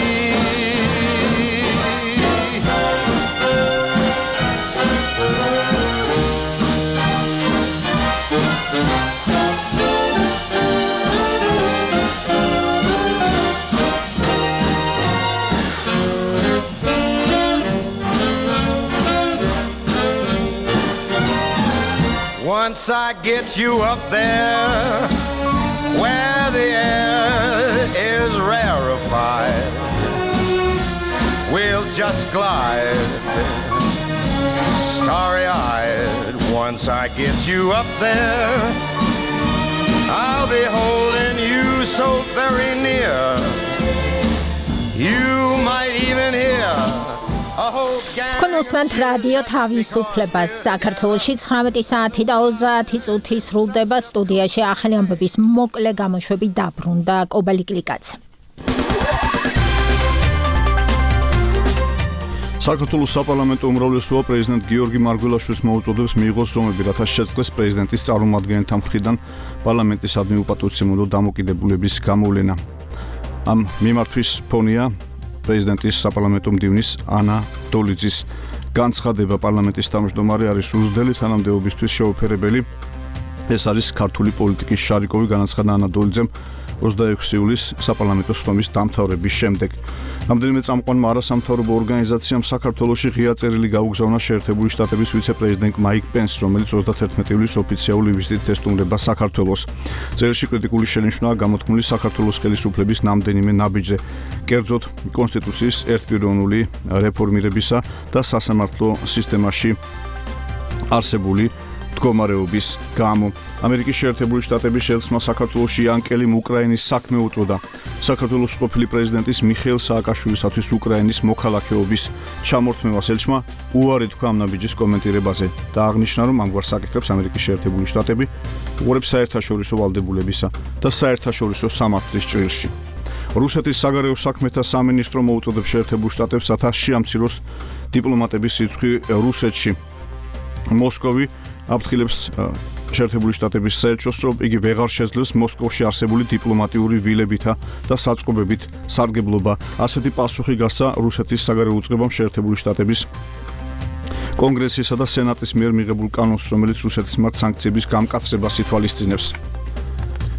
once I get you up there where the air is rarefied, we'll just glide starry-eyed. Once I get you up there, I'll be holding you so very near, you might even hear a whole gang. კონსმენთ რადიო თავისუფლებას საქართველოში 19 საათი და 30 წუთი სრულდება. სტუდიაში ახალი ამბების მოკლე გამოშვები დაბრუნდა კობალიკლიკაძე. საქართველოს საპარლამენტო უმრავლესობა პრეზიდენტ გიორგი მარგველაშვილის მოუწოდებს მიიღოს ზომები, რათა შეწყდეს პრეზიდენტის წარმომადგენელთა მხრიდან პარლამენტის ადმინისტრაციულ დამოკიდებულების გამოვლენა. ამ მიმართვის ფონია პრეზიდენტის საპარლამენტო მდივნის ანა დოლიძის განცხადება. პარლამენტის თავმჯდომარე არის უზრდელი თანამდებობისთვის შეუფერებელი. ეს არის ქართული პოლიტიკის შარიკოვი, განაცხადა ანა დოლიძემ 26 იულის საპარლამენტო სხდომის დამთავრების შემდეგ. რამდენიმე წამყვანმა არასამთავრობო ორგანიზაციამ საქართველოში ღია წერილი გაუგზავნა შეერთებული შტატების ვიცე-პრეზიდენტ მაიკ პენსს, რომელიც 31 ივლისს ოფიციალური ვიზიტით ესტუმრება საქართველოს. წერილში კრიტიკული შენიშვნაა გამოთქმული საქართველოს ხელისუფლების ნამდვილიმე ნაბიჯზე, კერძოდ კონსტიტუციის ერთპიროვნული რეფორმირებისა და სასამართლო სისტემაში არსებული მდგომარეობის გამო. ამერიკის შეერთებული შტატების შელსმა საქართველოში იანკელიმ უკრაინის საქმე უწოდა. საქართველოს ყოფილი პრეზიდენტის მიხეილ სააკაშვილისათვის უკრაინის მოქალაქეობის ჩამორთმევას ელჩმა უარი თქვა ამ ნაბიჯის კომენტირებაზე და აღნიშნა, რომ ამგვარ საკითხებს ამერიკის შეერთებული შტატები უყურებს საერთაშორისო ვალდებულებისა და საერთაშორისო სამართლის ჭრილში. რუსეთის საგარეო საქმეთა სამინისტრო მოუწოდებს შეერთებულ შტატებს, რათა შეამციროს დიპლომატების სიცხი რუსეთში. მოსკოვი აფრთხილებს შეერთებული შტატების საელჩოს, რომ იგი ვეღარ შეძლებს მოსკოვში არსებული დიპლომატიური ვილებითა და საწყობებით სარგებლობა. ასეთი პასუხი გასცა რუსეთის საგარეო უწყებამ შეერთებული შტატების კონგრესისა და სენატის მიერ მიღებულ კანონს, რომელიც რუსეთის მიმართ სანქციების გამკაცრებას ითვალისწინებს.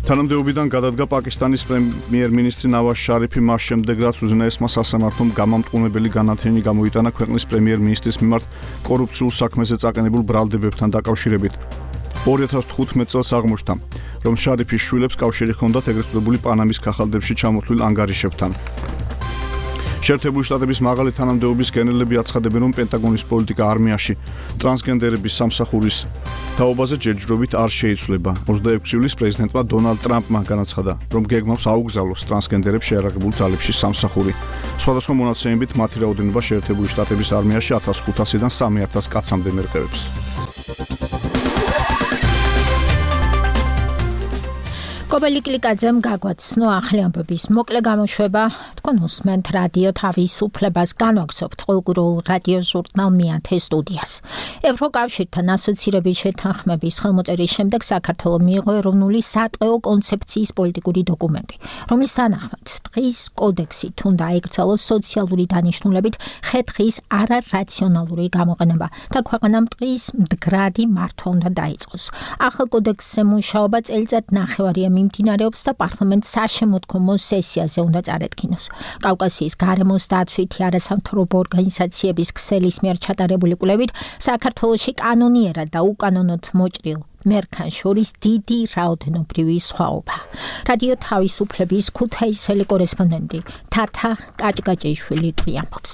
თანამდებობიდან გადადგა პაკისტანის პრემიერ-მინისტრი ნავაზ შარიფი მას შემდეგ, რაც უზენაესმა სასამართლომ გამამტყუნებელი განათლება გამოიტანა ქვეყნის პრემიერ-მინისტრის მიმართ კორუფციულ საქმეზე წაყენებულ ბრალდებებთან დაკავშირებით. 2015 წელს აღმოჩნდა, რომ შარიფის შვილებს კავშირი ჰქონდათ ეგრეთ წოდებული პანამის ქაღალდებში ჩამოთვლილ ანგარიშებთან. შეერთებული შტატების მაღალი თანამდებობის გენერლები აცხადებენ, რომ პენტაგონის პოლიტიკა არმიაში ტრანსგენდერების სამსახურის თაობაზე ჯერჯერობით არ შეიცვლება. 26 ივლისს პრეზიდენტმა დონალდ ტრამპმა განაცხადა, რომ გეგმავს აუგზავნოს ტრანსგენდერებს შეარაღებულ ძალებში სამსახური. სხვადასხვა მონაცემებით მათი რაოდენობა შეერთებული შტატების არმიაში 1500-დან 3000 კაცამდე მერყევებს. კობალიკლიკაძემ გაგვაცნო ახალი ამბების მოკლე გამოშვება. თქვენ უსმენთ რადიო თავისუფლებას, განვაგრძობთ ყოველკვირეულ რადიო ჟურნალ მეათე სტუდიას. ევროკავშირთან ასოცირების შეთანხმების ხელმოწერის შემდეგ საქართველოს მიიღო ეროვნული სატყეო კონცეფციის პოლიტიკური დოკუმენტი, რომლის თანახმად ტყის კოდექსით უნდა აიკრძალოს სოციალური დანიშნულებით ხე-ტყის არარაციონალური გამოყენება და ქვეყანამ ტყის მდგრადი მართვა უნდა დაიწყოს. ახალ კოდექსზე მუშაობა წელიწად ნახევარია მიმდინარეობს და პარლამენტს საშემოდგომო სესიაზე უნდა წარადგინოს. კავკასიის გარემოს დაცვითი არასამთავრობო ორგანიზაციების ქსელის მიერ ჩატარებული კვლევით საქართველოში კანონიერად და უკანონოდ მოჭრილ მერქანს შორის დიდი რაოდენობრივი სხვაობა. რადიო თავისუფლების ქუთაისელი კორესპონდენტი თათა კაჭკაჭიშვილი გვიამბობს.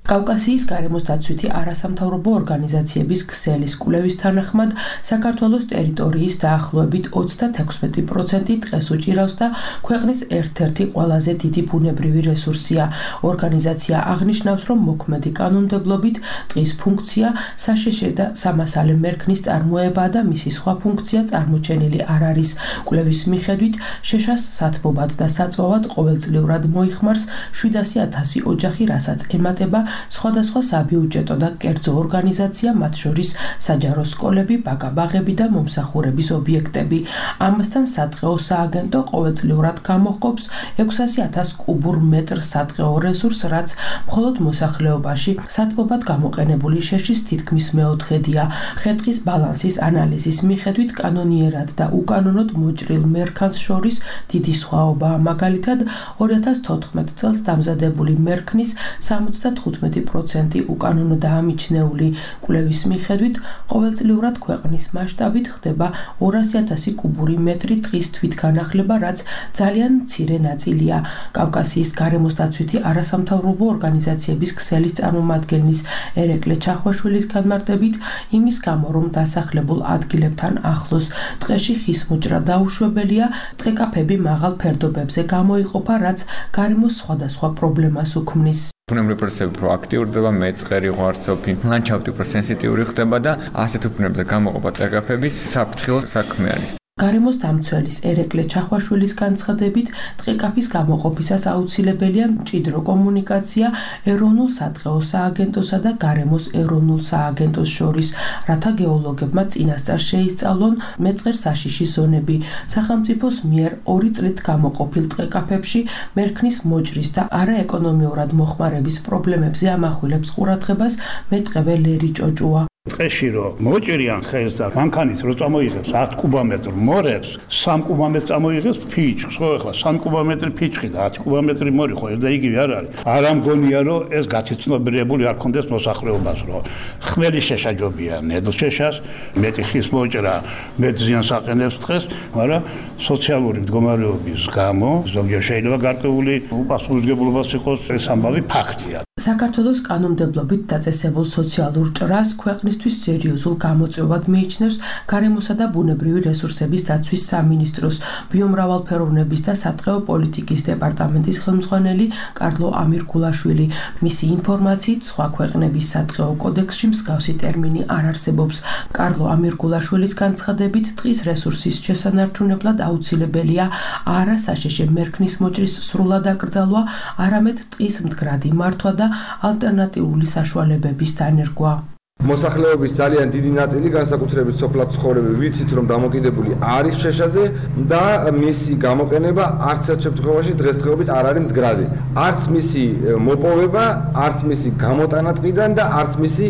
კავკასიის გარემოს დაცვითი არასამთავრობო ორგანიზაციების ქსელის კვლევის თანახმად საქართველოს ტერიტორიის დაახლოებით 36% ტყეს უჭირავს და ქვეყნის ერთ-ერთი ყველაზე დიდი ბუნებრივი რესურსია. ორგანიზაცია აღნიშნავს, რომ მოქმედი კანონმდებლობით ტყის ფუნქცია საშეშე და სამასალე მერქნის წარმოება და მისი სხვა ფუნქცია წარმოჩენილი არ არის. კვლევის მიხედვით შეშას სათბობად და საწვავად ყოველწლიურად მოიხმარს 700,000 ოჯახი, რასაც ემატება სხვადასხვა საბიუჯეტო და კერძო ორგანიზაცია, მათ შორის საჯარო სკოლები, ბაგა-ბაღები და მომსახურების ობიექტები. ამასთან სატყეო სააგენტო ყოველწლიურად გამოჰყოფს 600,000 კუბურ მეტრ სატყეო რესურსს, რაც მხოლოდ მოსახლეობაში სათბობად გამოყენებული შეშის თითქმის მეოთხედია. ხე-ტყის ბალანსის ანალიზის მიხედვით კანონიერად და უკანონოდ მოჭრილ მერქანს შორის დიდი სხვაობაა. მაგალითად 2014 წელს დამზადებული მერქნის 75 15% უკანონო დაამიჩნეული კვლევის მიხედვით ყოველწლიურად ქვეყნის მასშტაბით ხდება 200,000 კუბური მეტრი ტყის თვითგანახლება, რაც ძალიან მცირე ნაწილია. კავკასიის გარემოსდაცვითი არასამთავრობო ორგანიზაციების ქსელის წარმომადგენლის ერეკლე ჩახვაშვილის განმარტებით, იმის გამო, რომ დასახლებულ ადგილებთან ახლოს ტყეში ხის მოჭრა დაუშვებელია, ტყეკაფები მაღალ ფერდობებზე გამოიყოფა, რაც გარემოს სხვადასხვა პრობლემას უქმნის. ბუნებრივი პროცესები პროაქტიურდება, მეწყერი, ღვარცოფი, ლანდშაფტი უფრო სენსიტიური ხდება და ასეთ უფლებებზე გამოყოფა ტყეკაფების საფრთხილო საქმე არის. გარემოს დამცველის ერეკლე ჩახვაშვილის განცხადებით, ტყეკაფის გამოყოფისას აუცილებელია მჭიდრო კომუნიკაცია ეროვნულ სადღეო სააგენტოსა და გარემოს ეროვნულ სააგენტოს შორის, რათა გეოლოგებმა წინასწარ შეისწავლონ მეწყერ საშიში ზონები. სახელმწიფოს მიერ 2 წლით გამოყოფილ ტყეკაფებში მერქნის მოჭრის და არაეკონომიურად მოხმარების პრობლემებზე ამახვილებს ყურადღებას მეტყევე ლერი ჭოჭუა. ტყეში რომ მოჭრიან ხეს და მანქანით რო წამოიღებს 10 კუბომეტრ მორევს 3 კუბომეტრ წამოიღებს ფიჭს, ხო ახლა 3 კუბომეტრი ფიჭი და 10 კუბომეტრი მორი ხო ერთ და იგივე არ არის. არა მგონია რომ ეს გაცნობიერებული არ ქონდეს მოსახლეობას, რომ ხმელი შეშაჯობია ნედლ შეშას, მეტი ხის მოჭრა, მეტ ზიანს აყენებს ტყეს, მაგრამ სოციალური მდგომარეობის გამო ზოგიერთ შეიძლება გარკვეული უპასუხისმგებლობას იყოს, ეს ამბავი ფაქტია. საქართველოს კანონმდებლობით დაწესებულ სოციალურ ჭრას ქვეყნისთვის სერიოზულ გამოწვევად მიიჩნევს გარემოსა და ბუნებრივი რესურსების დაცვის სამინისტროს ბიომრავალფეროვნების და სატყეო პოლიტიკის დეპარტამენტის ხელმძღვანელი კარლო ამირგულაშვილი. მისი ინფორმაციით, სხვა ქვეყნების სატყეო კოდექსში მსგავსი ტერმინი არ არსებობს. კარლო ამირგულაშვილის განცხადებით, ტყის რესურსის შესანარჩუნებლად აუცილებელია არა საშიში მერქნის მოჭრის სრულად აკრძალვა, არამედ ტყის მდგრადი მართვა და ალტერნატიული საშუალებების დანერგვა. მოსახლეობის ძალიან დიდი ნაწილი, განსაკუთრებით სოფლად ცხოვრები, ვიცით რომ დამოკიდებული არის შეშაზე და მისი გამოყენება არც ერთ შემთხვევაში დღესდღეობით არ არის მდგრადი. არც მისი მოპოვება, არც მისი გამოტანა ტყიდან და არც მისი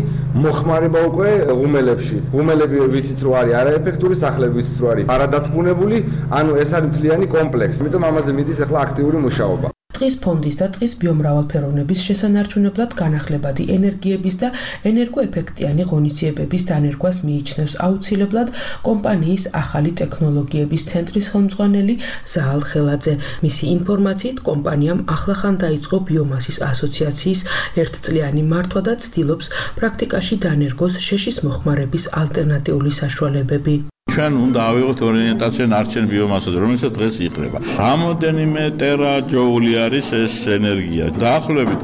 მოხმარება უკვე ღუმელებში. ღუმელები ვიცით რომ არის არაეფექტური, სახლები ვიცით რომ არის არადათბუნებული, ანუ ეს არის მთლიანი კომპლექსი. ამიტომ ამაზე მიდის ახლა აქტიური მუშაობა. ტყის ფონდის და ტყის ბიომრავალფეროვნების შესანარჩუნებლად განახლებადი ენერგიების და ენერგოეფექტიანი ღონისძიებების დანერგვას მიიჩნევს აუცილებლად კომპანიის ახალი ტექნოლოგიების ცენტრის ხელმძღვანელი ზაალ ხელაძე. მისი ინფორმაციით, კომპანიამ ახლახან დაიწყო ბიომასის ასოციაციის ერთწლიანი მართვა და ცდილობს პრაქტიკაში დანერგოს შეშის მოხმარების ალტერნატიული საშუალებები. ჩვენ უნდა ავიღოთ ორიენტაცია ნარჩენ ბიომასაზე, რომელსაც დღეს იყრება. რამოდენიმე ტერაჯოული არის ეს ენერგია. დაახლოებით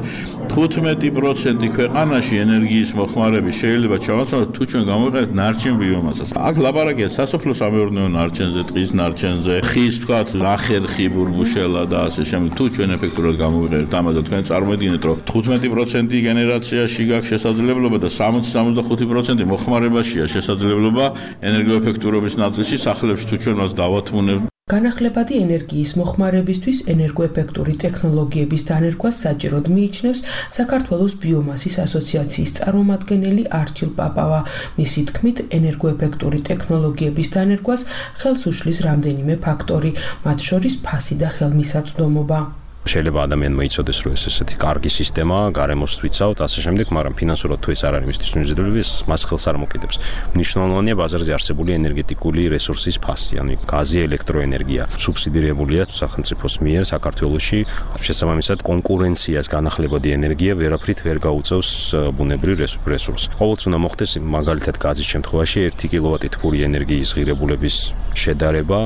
15% ქვეყანაში ენერგიის მოხმარები შეიძლება ჩავაცნოთ თუ ჩვენ გამოვიყენებთ ნარჩენ ბიომასას. აქ ლაპარაკია სასოფლო-სამეურნეო ნარჩენზე, ტყის ნარჩენზე, ხის თქვათ ნახერხი ბურბუშელა და ასე შემდეგ. თუ ჩვენ ეფექტურად გამოვიყენებთ ამას და თქვენ წარმოედგინეთ რომ 15% გენერაციაში გაქვს შესაძლებლობა და 60-65% მოხმარებაშია შესაძლებლობა ენერგოეფექტურობის ნაწილში სახლებში თუ ჩვენ მას დავათმუნებთ. განახლებადი ენერგიის მოხმარებისთვის ენერგოეფექტური ტექნოლოგიების დანერგვას საჭიროდ მიიჩნევს საქართველოს ბიომასის ასოციაციის წარმომადგენელი არჩილ პაპავა. მისი თქმით, ენერგოეფექტური ტექნოლოგიების დანერგვას ხელს უშლის რამდენიმე ფაქტორი, მათ შორის ფასი და ხელმისაწვდომობა. შეიძლება ადამიანმა იცოდეს, რომ ეს ესეთი კარგი სისტემაა, გარემოს ვიცავთ, ასე შემდეგ, მაგრამ ფინანსურად თუ ეს არ არის მისთვის მიზიდვლები, მას ხელს არ მოკიდებს. მნიშვნელოვანია ბაზარზე არსებული ენერგეტიკული რესურსის ფასი, ანუ გაზი, ელექტროენერგია, სუბსიდირებულია სახელმწიფოს მიერ საქართველოში. შესაბამისად, კონკურენციას განახლებადი ენერგია ვერაფრით ვერ გაუწევს ბუნებრივ რესურსს. ყოველთვის უნდა მოხდეს მაგალითად გაზის შემთხვევაში 1 კილოვატი თბური ენერგიის ღირებულების შედარება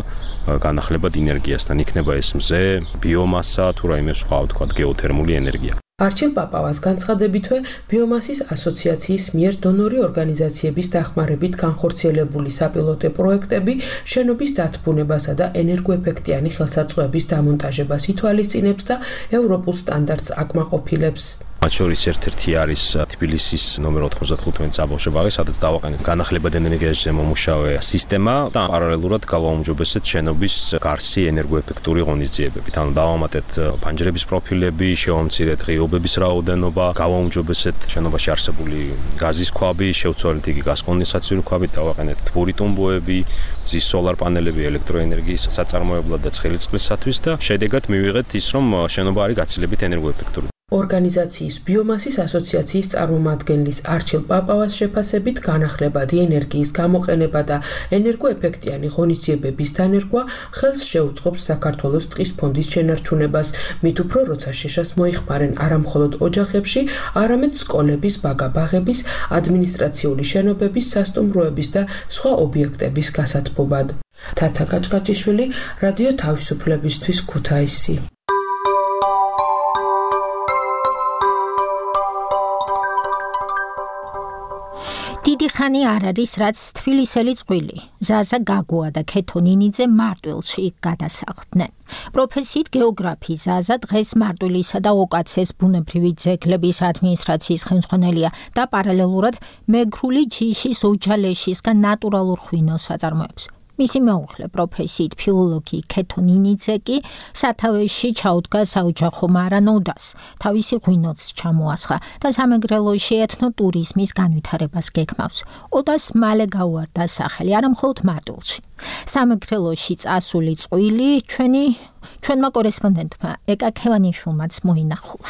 განახლებად ენერგიასთან. იქნება ეს მზე, ბიომასა თუ რაიმე სხვა, თქვათ, გეოთერმული ენერგია. არჩილ პაპავას განცხადებითვე, ბიომასის ასოციაციის მიერ დონორი ორგანიზაციების დახმარებით განხორციელებული საპილოტო პროექტები შენობის დათბუნებასა და ენერგოეფექტიანი ხელსაწყოების დამონტაჟებას ითვალისწინებს და ევროპულ სტანდარტს აკმაყოფილებს. მათ შორის ერთ-ერთი არის თბილისის ნომერ 95 საბავშვო ბაღი, სადაც დავაყენეთ განახლებადი ენერგიაზე მომუშავე სისტემა და პარალელურად გავაუმჯობესეთ შენობის გარსი ენერგოეფექტური ღონისძიებებით. ანუ დავამატეთ ფანჯრების პროფილები, შევამცირეთ ღიობების რაოდენობა, გავაუმჯობესეთ შენობაში არსებული გაზის ქვაბი, შევცვალეთ იგი გაზკონდენსაციური ქვაბით, დავაყენეთ თბური ტუმბოები, მზის სოლარ პანელები ელექტროენერგიის საწარმოებლად და ცხელი წყლისათვის და შედეგად მივიღეთ ის, რომ შენობა არის გაცილებით ენერგოეფექტური. ორგანიზაციის ბიომასის ასოციაციის წარმომადგენლის არჩილ პაპავას შეფასებით განახლებადი ენერგიის გამოყენება და ენერგოეფექტიანი ღონისძიებების დანერგვა ხელს შეუწყობს საქართველოს ტყის ფონდის შენარჩუნებას, მით უფრო როცა შეშას მოიხმარენ არა მხოლოდ ოჯახებში, არამედ სკოლების, ბაგა-ბაღების, ადმინისტრაციული შენობების, სასტუმროების და სხვა ობიექტების გასათბობად. თათა კაჭკაჭიშვილი, რადიო თავისუფლებისთვის ქუთაისი. დიდი ხანი არ არის, რაც თბილისელი წყვილი, ზაზა გაგუა და ქეთო ნინიძე მარტვილში გადასახლდნენ. პროფესიით გეოგრაფი ზაზა დღეს მარტვილისა და ოკაცეს ბუნებრივი ძეგლების ადმინისტრაციის ხელმძღვანელია და პარალელურად მეგრული ჯიშის ოჯალეშისგან ნატურალურ ღვინოს აწარმოებს. მისი მეუღლე პროფესიით ფილოლოგი ქეთო ნინიძე კი სათავეში ჩაუდგა საოჯახო მარანოდას, თავისი ღვინოც ჩამოასხა და სამეგრელოში ეთნო ტურიზმის განვითარებას გეგმავს. ოდას მალე გაუარდა სახელი არა მხოლოდ მარტვილში. სამეგრელოში წასული წყვილი ჩვენმა კორესპონდენტმა ეკა ქევანიშვილმაც მოინახულა.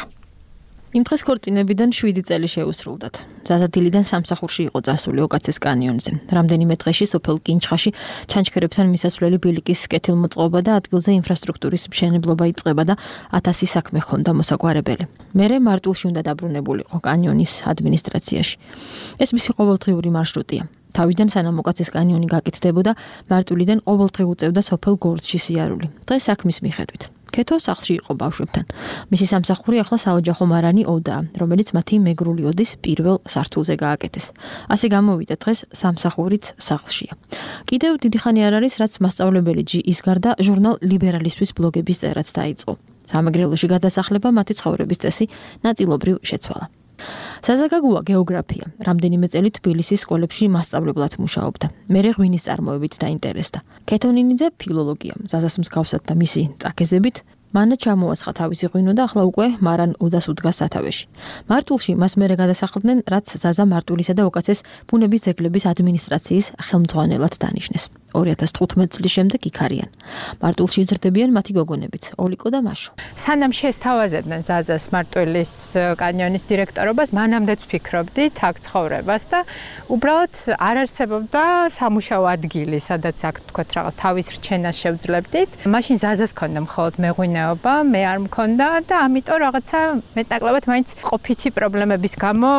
იმ დღეს ქორწინებიდან 7 წელი შეუსრულდათ. ზაზადილიდან სამსახურში იყო წასული ოკაცეს კანიონზე. რამდენიმე დღეში სოფელ კინჩხაში ჩანჩქერებთან მისასვლელი ბილიკის კეთილმოწყობა და ადგილზე ინფრასტრუქტურის მშენებლობა იწყება და 1000 საქმე ჰქონდა მოსაგვარებელი. მერე მარტვილში უნდა დაბრუნებულიყო კანიონის ადმინისტრაციაში. ეს მისი ყოველდღიური მარშრუტია. თავიდან სანამ ოკაცეს კანიონი გაკეთდებოდა, მარტვილიდან ყოველდღე უწევდა სოფელ გორცში სიარული. დღეს საქმის მიხედვით. ქეთო სახლში იყო ბავშვებთან. მისი სამსახური ახლა საოჯახო მარანი ოდაა, რომელიც მათი მეგრული ოდის პირველ სართულზე გააკეთეს. ასე გამოვიდა დღეს სამსახურიც სახლშია. კიდევ დიდი ხანი არ არის, რაც მასწავლებელი ჯი ის გარდა ჟურნალ ლიბერალისტვის ბლოგების წერაც დაიწყო. სამეგრელოში გადასახლება მათი ცხოვრების წესი ნაწილობრივ შეცვალა. ზაზა გაგუა გეოგრაფია. რამდენიმე წელი თბილისის სკოლებში მასწავლებლად მუშაობდა. მერე ღვინის წარმოებით დაინტერესდა. ქეთო ნინიძე ფილოლოგია. ზაზას მსგავსად და მისი წაქეზებით მან ჩამოასხა თავისი ღვინო და ახლა უკვე მარან ოდას უდგას სათავეში. მარტვილში მას მერე გადასახლდნენ, რაც ზაზა მარტვილისა და ოკაცეს ბუნების ძეგლების ადმინისტრაციის ხელმძღვანელად დანიშნეს. 2015 წლის შემდეგ იქ არიან. მარტვილში იზრდებიან მათი გოგონებიც, ოლიკო და მაშო. სანამ შესთავაზებდნენ ზაზას მარტვილის კანიონის დირექტორობას, მანამდეც ვფიქრობდით აქ ცხოვრებას და უბრალოდ არ არსებობდა სამუშაო ადგილი, სადაც აქ თქვათ რაღაც თავის რჩენას შევძლებდით. მაშინ ზაზას ჰქონდა მხოლოდ მეღვინეობა, მე არ მქონდა და ამიტომ რაღაცა მეტნაკლებად მაინც ყოფითი პრობლემების გამო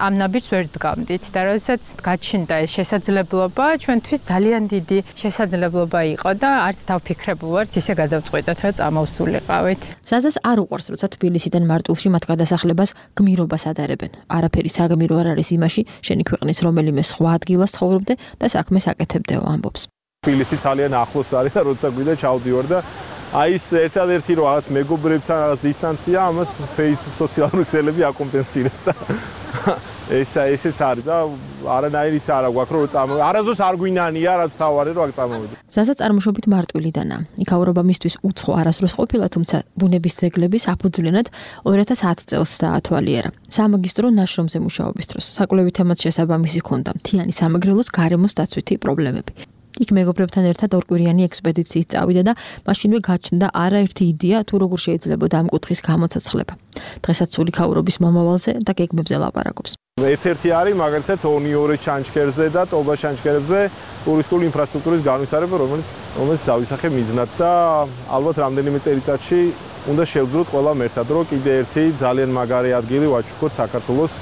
ამ ნაბიჯს ვერ დგამდით და როდესაც გაჩნდა ეს შესაძლებლობა, ჩვენთვის ძალიან დიდი შესაძლებლობა იყო და არც დავფიქრებულ ვართ ისე გადავწყვეტათ რა წამოვსულიყავით. ზაზას არ უყვარს, როცა თბილისიდან მარტვილში მათ გადასახლებას გმირობას ადარებენ. არაფერი საგმირო არ არის იმაში, შენი ქვეყნის რომელიმე სხვა ადგილას ცხოვრობდე და საქმეს აკეთებდეო ამბობს. თბილისი ძალიან ახლოს არის და როცა გვიდა ჩავდივარ და აი ეს ერთადერთი რომ რაღაც მეგობრებთან რაღაც დისტანცია, ამას Facebook სოციალური ქსელები აკომპენსირებს და ესეც არის და არანაირი ის არა გვაქვს რომ წამოვიდე. არასდროს არ გვინანია, რაც თავარი რომ აქ წამოვიდე. ზაზა წარმოშობით მარტვილიდანაა. იქაურობა მისთვის უცხო არასდროს ყოფილა, თუმცა ბუნების ძეგლების აფუძვლიანად 2010 წელს დაათვალიერა. სამაგისტრო ნაშრომზე მუშაობის დროს საკვლევი თემაც შესაბამისი ჰქონდა მთიანი სამეგრელოს გარემოს დაცვითი პრობლემები. იქ მეგობრებთან ერთად ორკვირიანი ექსპედიციით წავიდა და მაშინვე გაჩნდა არაერთი იდეა თუ როგორ შეიძლება ამ კუთხის გამოცოცხლება. დღესაც სული ქაურობის მომავალზე და გეგმებზე ლაპარაკობს. ერთ-ერთი არის მაგალითად ონიორის ჩანჩქერზე და ტობა ჩანჩქერებზე ტურისტული ინფრასტრუქტურის განვითარება, რომელიც დავისახე მიზნად და ალბათ რამდენიმე წელიწადში უნდა შევძროთ ყველამ ერთად, რომ კიდე ერთი ძალიან მაგარი ადგილი ვაჩუქოთ საქართველოს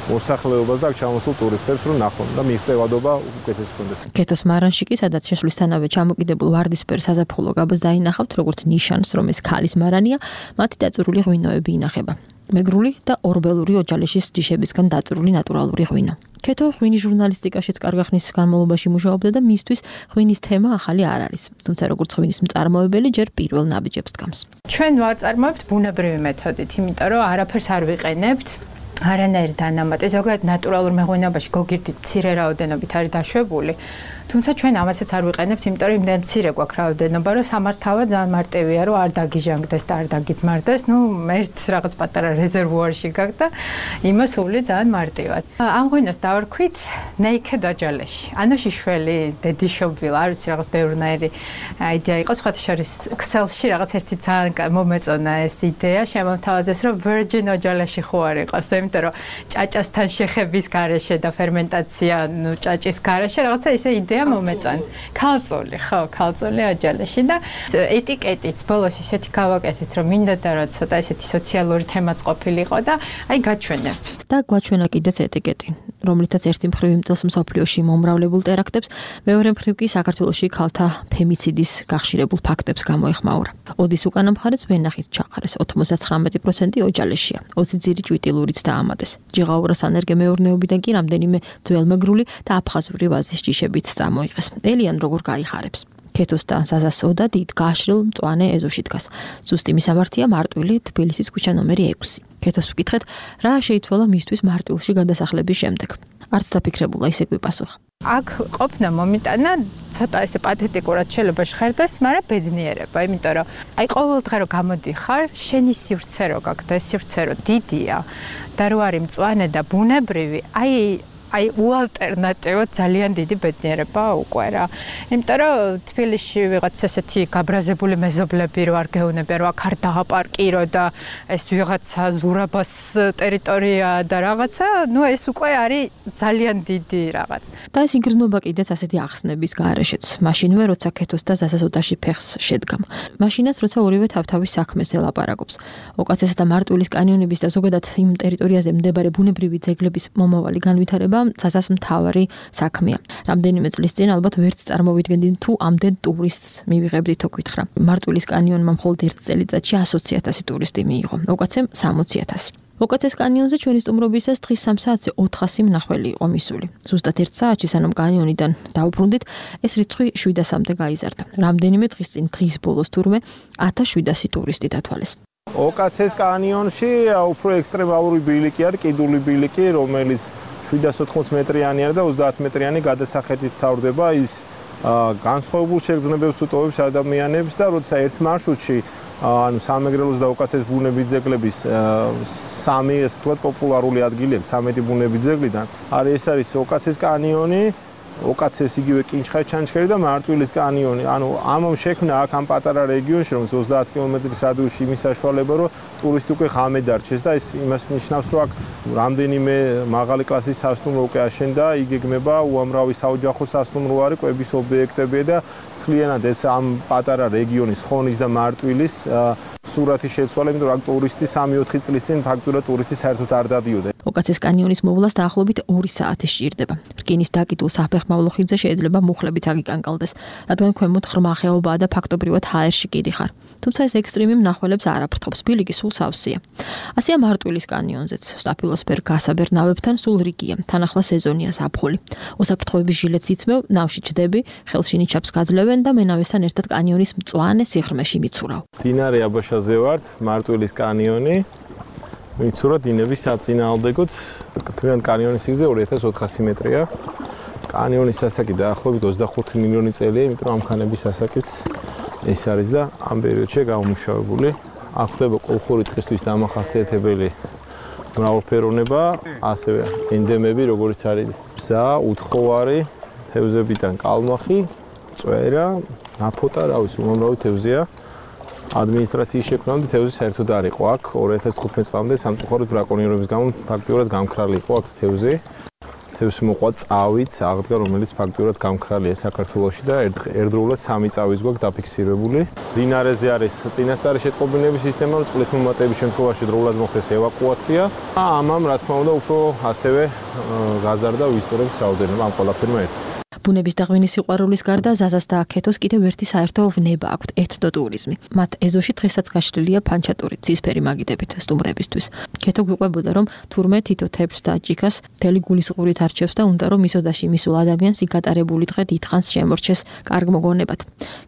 მოსახლეობას და აქ ჩამოსულ ტურისტებს რომ ნახონ და მიღწევადობა უკეთესი კონდეს. ქეთოს მარანში კი სადაც შესვლისთანავე ჩამოკიდებულ ვარდისფერ საზაფხულო გაბას დაინახავთ, როგორც ნიშანს, რომ ეს ქალის მარანია, მათი დაწურული ღვინოები ინახება. მეგრული და ორბელური ოჯალეშის ჯიშებისგან დაწურული ნატურალური ღვინო. ქეთო ღვინის ჟურნალისტიკაშიც კარგი ხნის განმავლობაში მუშაობდა და მისთვის ღვინის თემა ახალი არ არის. თუმცა როგორც ღვინის მწარმოებელი ჯერ პირველ ნაბიჯებს დგამს. ჩვენ ვაწარმოებთ ბუნებრივი მეთოდით, იმიტომ რომ არაფერს არ ვიყენებთ. არანაირი დანამატი, ზოგადად ნატურალურ მეღვინეობაში გოგირდი მცირე რაოდენობით არის დაშვებული. თუმცა ჩვენ ამასაც არ ვიყენებთ, იმიტომ რომ იმდენ მცირე გვაქვს რაოდენობა, რომ სამართავა ძალიან მარტივია, რომ არ დაგიჟანგდეს და არ დაგიძმარდეს. ერთ რაღაც პატარა რეზერვუარში გაქვს და იმას ული ძალიან მარტივად. ამ ღვინოს დავარქვით naked აჯალეში. ანუ შიშველი, დედიშობილ, არ ვიცი რაღაც ბევრნაირი იდეა იყო, სხვათა შორის Excel-ში რაღაც ერთი ძალიან მომეწონა ეს იდეა, შემომთავაზეს, რომ virgin აჯალეში ხო არ იყოს, იმიტომ რომ ჭაჭასთან შეხების გარეშე და ფერმენტაცია, ჭაჭის გარეშე რაღაცა ისე იდეა მომეწონა. ქალწული, ხო, ქალწული აჯალეში და ეტიკეტიც ბოლოს ისეთი გავაკეთეთ, რომ მინდოდა რომ ცოტა ესეთი სოციალური თემაც ყოფილიყო და აი გაჩვენებ. და გვაჩვენა კიდეც ეტიკეტი, რომლითაც ერთი მხრივ იმწელს მსოფლიოში მომრავლებულ ტერაქტებს, მეორე მხრივ კი საქართველოში ქალთა ფემიციდის გახშირებულ ფაქტებს გამოეხმაურა. ოდის უკანა მხარეც ვენახით ჩაყარეს, 99% ოჯალეშია, 20 ძირი ჭვიტილურიც დაამატეს. ჯიღაურას ანერგემეურნეობიდან კი რამდენიმე ძველმეგრული და აფხაზური ვაზის ჯიშებიც წამოიღეს. ელიან როგორ გაიხარებს? ქეთოს და ზაზასოდა დიდ გაშრილ მწვანე ეზოში დგას. ზუსტი მისამართია მარტვილი თბილისის ქუჩა ნომერი 6. ქეთოს ვკითხეთ, რა შეიცვალა მისთვის მარტვილში გადასახლების შემდეგ. არც დაფიქრებულა ისე გვიპასუხა. აქ ყოფნა მომიტანა ცოტა ესე პათეტიკურად შეიძლება ჟღერდეს, მაგრამ ბედნიერება, იმიტომ რომ აი ყოველ დღე რო გამოდიხარ, შენი სივრცე რო გაქვს და ეს სივრცე რო დიდია და რო არის მწვანე და ბუნებრივი, აი უალტერნატივო ძალიან დიდი ბედნიერება უკვე რა. იმიტომ რომ თბილისში ვიღაც ესეთი გაბრაზებული მეზობლები რო არ გეუნებია, რომ აქ არ დააპარკირო და ეს ვიღაცა ზურაბას ტერიტორია და რაღაცა, ეს უკვე არის ძალიან დიდი რაღაც. და ეს იგრძნობა კიდეც ასეთი ახსნების გარეშეც. მაშინვე როცა ქეთოს და ზასასოდაში ფეხს შედგამ. მაშინაც როცა ორივე თავთავის საქმეს ელაპარაკობს. ოკაცესა და მარტვილის კანიონების და ზოგადად იმ ტერიტორიაზე მდებარე ბუნებრივი ძეგლების მომავალი განვითარება საზას მთავარი საქმეა. რამდენიმე წლის წინ ალბათ ვერც წარმოვიდგენდით თუ ამდენ ტურისტს მივიღებდით თო გითხრა. მარტვილის კანიონმა მხოლოდ ერთ წელიწადში 120,000 ტურისტი მიიღო. ოკაცემ 60,000. ოკაცეს კანიონზე ჩვენი სტუმრობისას დღის 3 საათზე 400 მნახველი იყო მისული. ზუსტად 1 საათში სანამ კანიონიდან დავუბრუნდით, ეს რიცხვი 700-მდე გაიზარდა. რამდენიმე დღის წინ დღის ბოლოს თურმე 1700 ტურისტი დათვალეს. ოკაცეს კანიონში უფრო ექსტრემალური ბილიკი არის, კიდული ბილიკი, რომელიც 780 მეტრიანი და 30 მეტრიანი გადასახედით თავდება ის განსხვავებულ შეგრძნებებს უტოვებს ადამიანებს და როცა ერთ მარშრუტში ანუ სამეგრელოს და ოკაცეს ბუნების ძეგლების 3 ეს თქვა პოპულარული ადგილი აქვს 13 ბუნების ძეგლიდან ეს არის ოკაცეს კანიონი ოკაცეს იგივე კინჩხაის ჩანჩქერი და მარტვილის კანიონი. ანუ ამამ შექმნა აქ ამ პატარა რეგიონში, რომ 30 კილომეტრის რადიუსში იმის საშუალება, რომ ტურისტი უკვე ღამე დარჩეს და ეს იმას ნიშნავს, რომ აქ რამდენიმე მაღალი კლასის სასტუმრო უკვე აშენდა, იგეგმება უამრავი საოჯახო სასტუმრო არის, კვების ობიექტებია და მთლიანად ეს ამ პატარა რეგიონის ხონის და მარტვილის სურათი შეცვალა, იმიტომ რომ აქ ტურისტი 3-4 წლის წინ ფაქტურად ტურისტი საერთოდ არ დადიოდა. ოკაცეს კანიონის მოვლას დაახლოებით 2 საათი სჭირდება. რკინის დაკიდულ საფეხმავლო ხიდზე შეიძლება მუხლებიც აგიკანკალდეს, რადგან ქვემოთ ღრმა ხეობაა და ფაქტობრივად ჰაერში კიდი ხარ. თუმცა ეს ექსტრემი მნახველებს არ აფრთხობს, ბილიკი სულ სავსეა. ასეა მარტვილის კანიონზეც, სტაფილოსფერ გასაბერ ნავებთან სულ რიგია, თან ახლა სეზონია ზაფხული. უსაფრთხოების ჟილეტს იცმევ, ნავში ჩდები, ხელში ნიჩაბს გაძლევენ და მენავესთან ერთად კანიონის მწვანე სიღრმეში მიცურავ. დინარე აბაშაზე ვართ, მარტვილის კანიონი. მიცურა დინების საწინააღმდეგოდ, თვითონ კანიონის სიგრძე 2400 მეტრია. კანიონის ასაკი დაახლოებით 25 მილიონი წელია, იმიტომ რომ ამ ქანების ასაკიც ეს არის და ამ პერიოდში გამომუშავებული. აქ ხდება კოლხური ტყისთვის დამახასიათებელი მრავალფეროვნება, ასევე ენდემები, როგორც არის ბზა, უთხოვარი, თევზებიდან კალმახი, წვერა, ნაფოტა, რა ვიცი, უამრავი თევზია. ადმინისტრაციის შექმნამდე თევზი საერთოდ არ იყო აქ 2015 წლამდე სამწუხაროდ ბრაკონიერების გამო ფაქტიურად გამქრალი იყო აქ თევზი. თევზს მოყვა წავით აღდგა, რომელიც ფაქტიურად გამქრალია საქართველოში და ერთდროულად 3 წავიც გვაქვს დაფიქსირებული. დინარეზე არის წინასწარი შეტყობინების სისტემა, წყლის მომატების შემთხვევაში დროულად მოხდეს ევაკუაცია. ამამ რა თქმა უნდა უფრო ასევე გაზარდა ვიზიტორების რაოდენობა ამ ყველაფერმა ერთად. ბუნების და ღვინის სიყვარულის გარდა ზაზას და ქეთოს კიდევ ერთი საერთო ვნება აქვთ ეთნოტურიზმი. მათ ეზოში დღესაც გაშლილია ფანჩატური ცისფერი მაგიდებით სტუმრებისთვის. ქეთო გვიყვებოდა რომ თურმე თითო თეფს და ჭიქას მთელი გულისყურით არჩევს და უნდა რომ მისოდაში მისულ ადამიანს იკატარებული დღე დიდხანს შემორჩეს კარგ მოგონებად.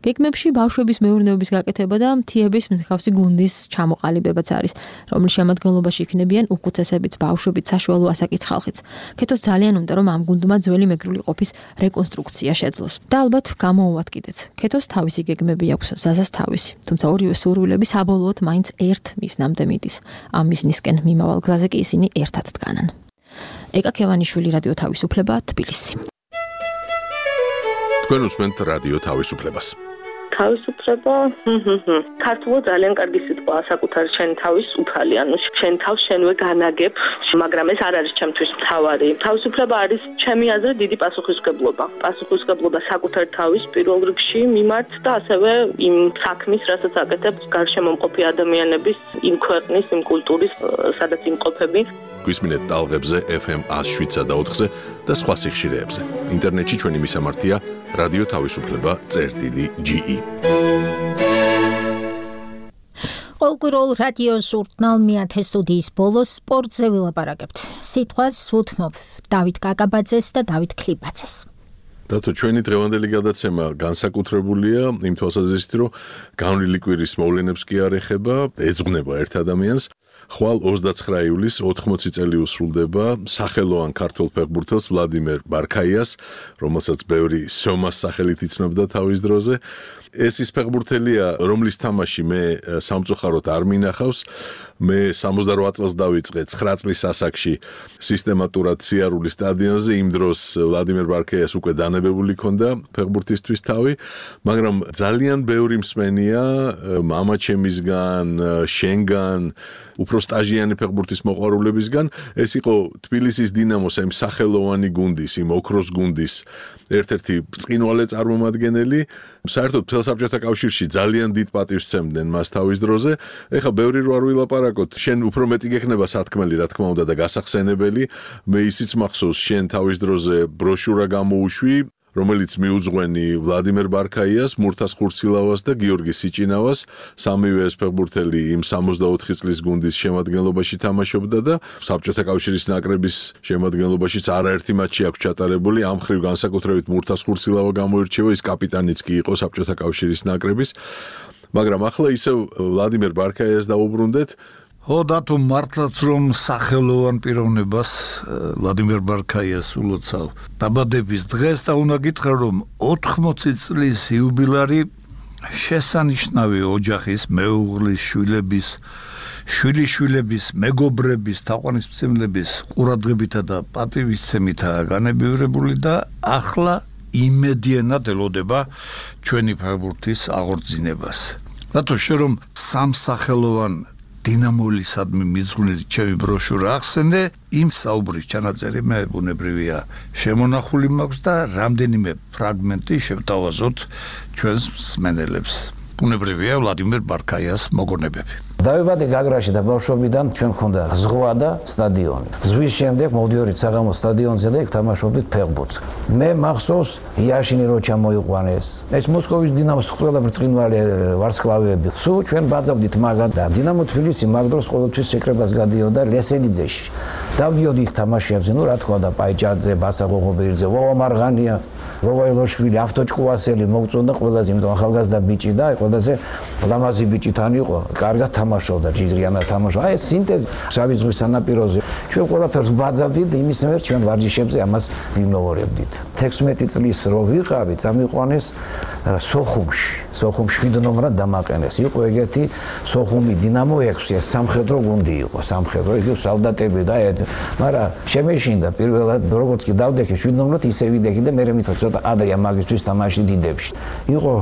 გეგმებში ბავშვების მეურნეობის გაკეთება და მთიების მსგავსი გუნდის ჩამოყალიბებაც არის, რომლის შემადგენლობაში იქნებიან უკუცესებიც, ბავშვებიც, საშუალო ასაკის ხალხიც. ქეთოს ძალიან უნდა რომ ამ გუნდმა ძველი მეგრული ყოფის რეკონსტრუქცია შეძლოს. და ალბათ გამოუვათ კიდეც. ქეთოს თავისი გეგმები აქვს, ზაზას თავისი. თუმცა ორივე სურვილები საბოლოოდ მაინც ერთ მიზნამდე მიდის. ამ მიზნისკენ მიმავალ გზაზე კი ისინი ერთად დგანან. ეკა ქევანიშვილი, რადიო თავისუფლება, თბილისი. თქვენ უსმენთ რადიო თავისუფლებას. თავისუფლება ქართულად ძალიან კარგი სიტყვაა საკუთარ შენ თავის უფალი, ანუ შენ თავს შენვე განაგებ, მაგრამ ეს არ არის ჩემთვის მთავარი. თავისუფლება არის ჩემი აზრით დიდი პასუხისმგებლობა. პასუხისმგებლობა საკუთარ თავის პირველ რიგში მიმართ და ასევე იმ საქმის, რასაც აკეთებს გარშემო მყოფი ადამიანების, იმ ქვეყნის, იმ კულტურის, სადაც იმყოფები. გვისმინეთ ტალღებზე FM 107.4-ზე და სხვა სიხშირეებზე. ინტერნეტში ჩვენი მისამართია რადიო თავისუფლება.ge. ყოველკვირეულ რადიო ჟურნალ მეათე სტუდიის ბოლოს სპორტზე ვილაპარაკებთ. სიტყვას ვუთმობ დავით კაკაბაძეს და დავით ქლიბაძეს. დათო, ჩვენი დღევანდელი გადაცემა განსაკუთრებულია იმ თვალსაზრისით, რომ განვლილი კვირის მოვლენებს კი არ ეხება, ეძღვნება ერთ ადამიანს. ხვალ 29 ივლისს 80 წელი უსრულდება სახელოვან ქართველ ფეხბურთელს ვლადიმერ ბარქაიას, რომელსაც ბევრი სომას სახელით იცნობდა თავის დროზე. ეს ის ფეხბურთელია, რომლის თამაში მე სამწუხაროდ არ მინახავს. მე 68 წელს დავიწყე 9 წლის ასაკში სისტემატურად სიარული სტადიონზე. იმ დროს ვლადიმერ ბარქაიას უკვე დანებებული ჰქონდა ფეხბურთისთვის თავი, მაგრამ ძალიან ბევრი მსმენია მამაჩემისგან, შენგან, უფრო სტაჟიანი ფეხბურთის მოყვარულებისგან. ეს იყო თბილისის დინამოს იმ სახელოვანი გუნდის, იმ ოქროს გუნდის ერთ-ერთი ბრწყინვალე წარმომადგენელი. საერთოდ მთელ საბჭოთა კავშირში ძალიან დიდ პატივს სცემდნენ მას თავის დროზე. ეხლა ბევრი რო არ ვილაპარაკოთ, შენ უფრო მეტი გექნება სათქმელი, რა თქმა უნდა და გასახსენებელი. მე ისიც მახსოვს, შენ თავის დროზე ბროშურა გამოუშვი, რომელიც მიუძღვენი ვლადიმერ ბარქაიას, მურთას ხურცილავას და გიორგი სიჭინავას. სამივე ეს ფეხბურთელი იმ 64 წლის გუნდის შემადგენლობაში თამაშობდა და საბჭოთა კავშირის ნაკრების შემადგენლობაშიც არაერთი მატჩი აქვს ჩატარებული. ამ ხრივ განსაკუთრებით მურთას ხურცილავა გამოირჩევა, ის კაპიტანიც კი იყო საბჭოთა კავშირის ნაკრების. მაგრამ ახლა ისევ ვლადიმერ ბარქაიას დაუბრუნდეთ. დათო, მართლაც რომ სახელოვან პიროვნებას ვლადიმერ ბარქაიას ულოცავ დაბადების დღეს და უნდა გითხრა რომ 80 წლის იუბილარი შესანიშნავი ოჯახის, მეუღლის, შვილების, შვილიშვილების, მეგობრების, თაყვანისმცემლების ყურადღებითა და პატივისცემითაა განებივრებული და ახლა იმედიანად ელოდება ჩვენი ფეხბურთის აღორძინებას. დათო, შე რომ სამსახელოვან დინამოლისადმი მიძღვნილი ჩემი ბროშურა ახსენე, იმ საუბრის ჩანაწერი მე ბუნებრივია შემონახული მაქვს და რამდენიმე ფრაგმენტი შევთავაზოთ ჩვენს მსმენელებს. ბუნებრივია ვლადიმერ ბარქაიას მოგონებები. დავიბადე გაგრაში და ბავშვობიდან ჩვენ ხონდა ზღვა და სტადიონი. ზღვის შემდეგ მოვდიორით საღამოს სტადიონზე და იქ თამაშობდით ფეხბურთს. მე მახსოვს იაშინი რო ჩამოიყვანეს. ეს მოსკოვის დინამოს ყველა ბრწყინვალე ვარსკვლავები. სულ ჩვენ ბაძავდით მაგად და დინამო თბილისი მაგ დროს ყოველთვის შეკრებას გადიოდა ლესელიძეში. დავდიოდი იქ თამაშებზე, ნუ რა თქვა და პაიჭაძე, ბასა ღოღობერძე, ვოვა მარღანია, ვოვა ელოშვილი, ავტოჭკუასელი მოგწონდა ყველაზე, იმიტომ ახალგაზრდა ბიჭი და ყველაზე ლამაზი ბიჭი თან იყო. კარგად თამაშობდა, ჯიგრიანად თამაშობდა. ეს სინტეზი შავი ზღვის სანაპიროზე. ჩვენ ყველაფერს ვბაძავდით, იმის მიერ ჩვენ ვარჯიშებზე ამას ვიმოვორებდით. 16 წლის რო ვიყავი, წამიყვანეს სოხუმში. სოხუმში 7 ნომრად დამაყენეს. იყო ეგეთი სოხუმი დინამო 6, ეს სამხედრო გუნდი იყო, სამხედრო, იგი სალდატები და მაგრამ შემეშინდა პირველად როგორც კი დავდექი 7 ნომრად ისე ვიდექი და მე მითხრა ცოტა ადრია მაგისთვის თამაში დიდებში. იყო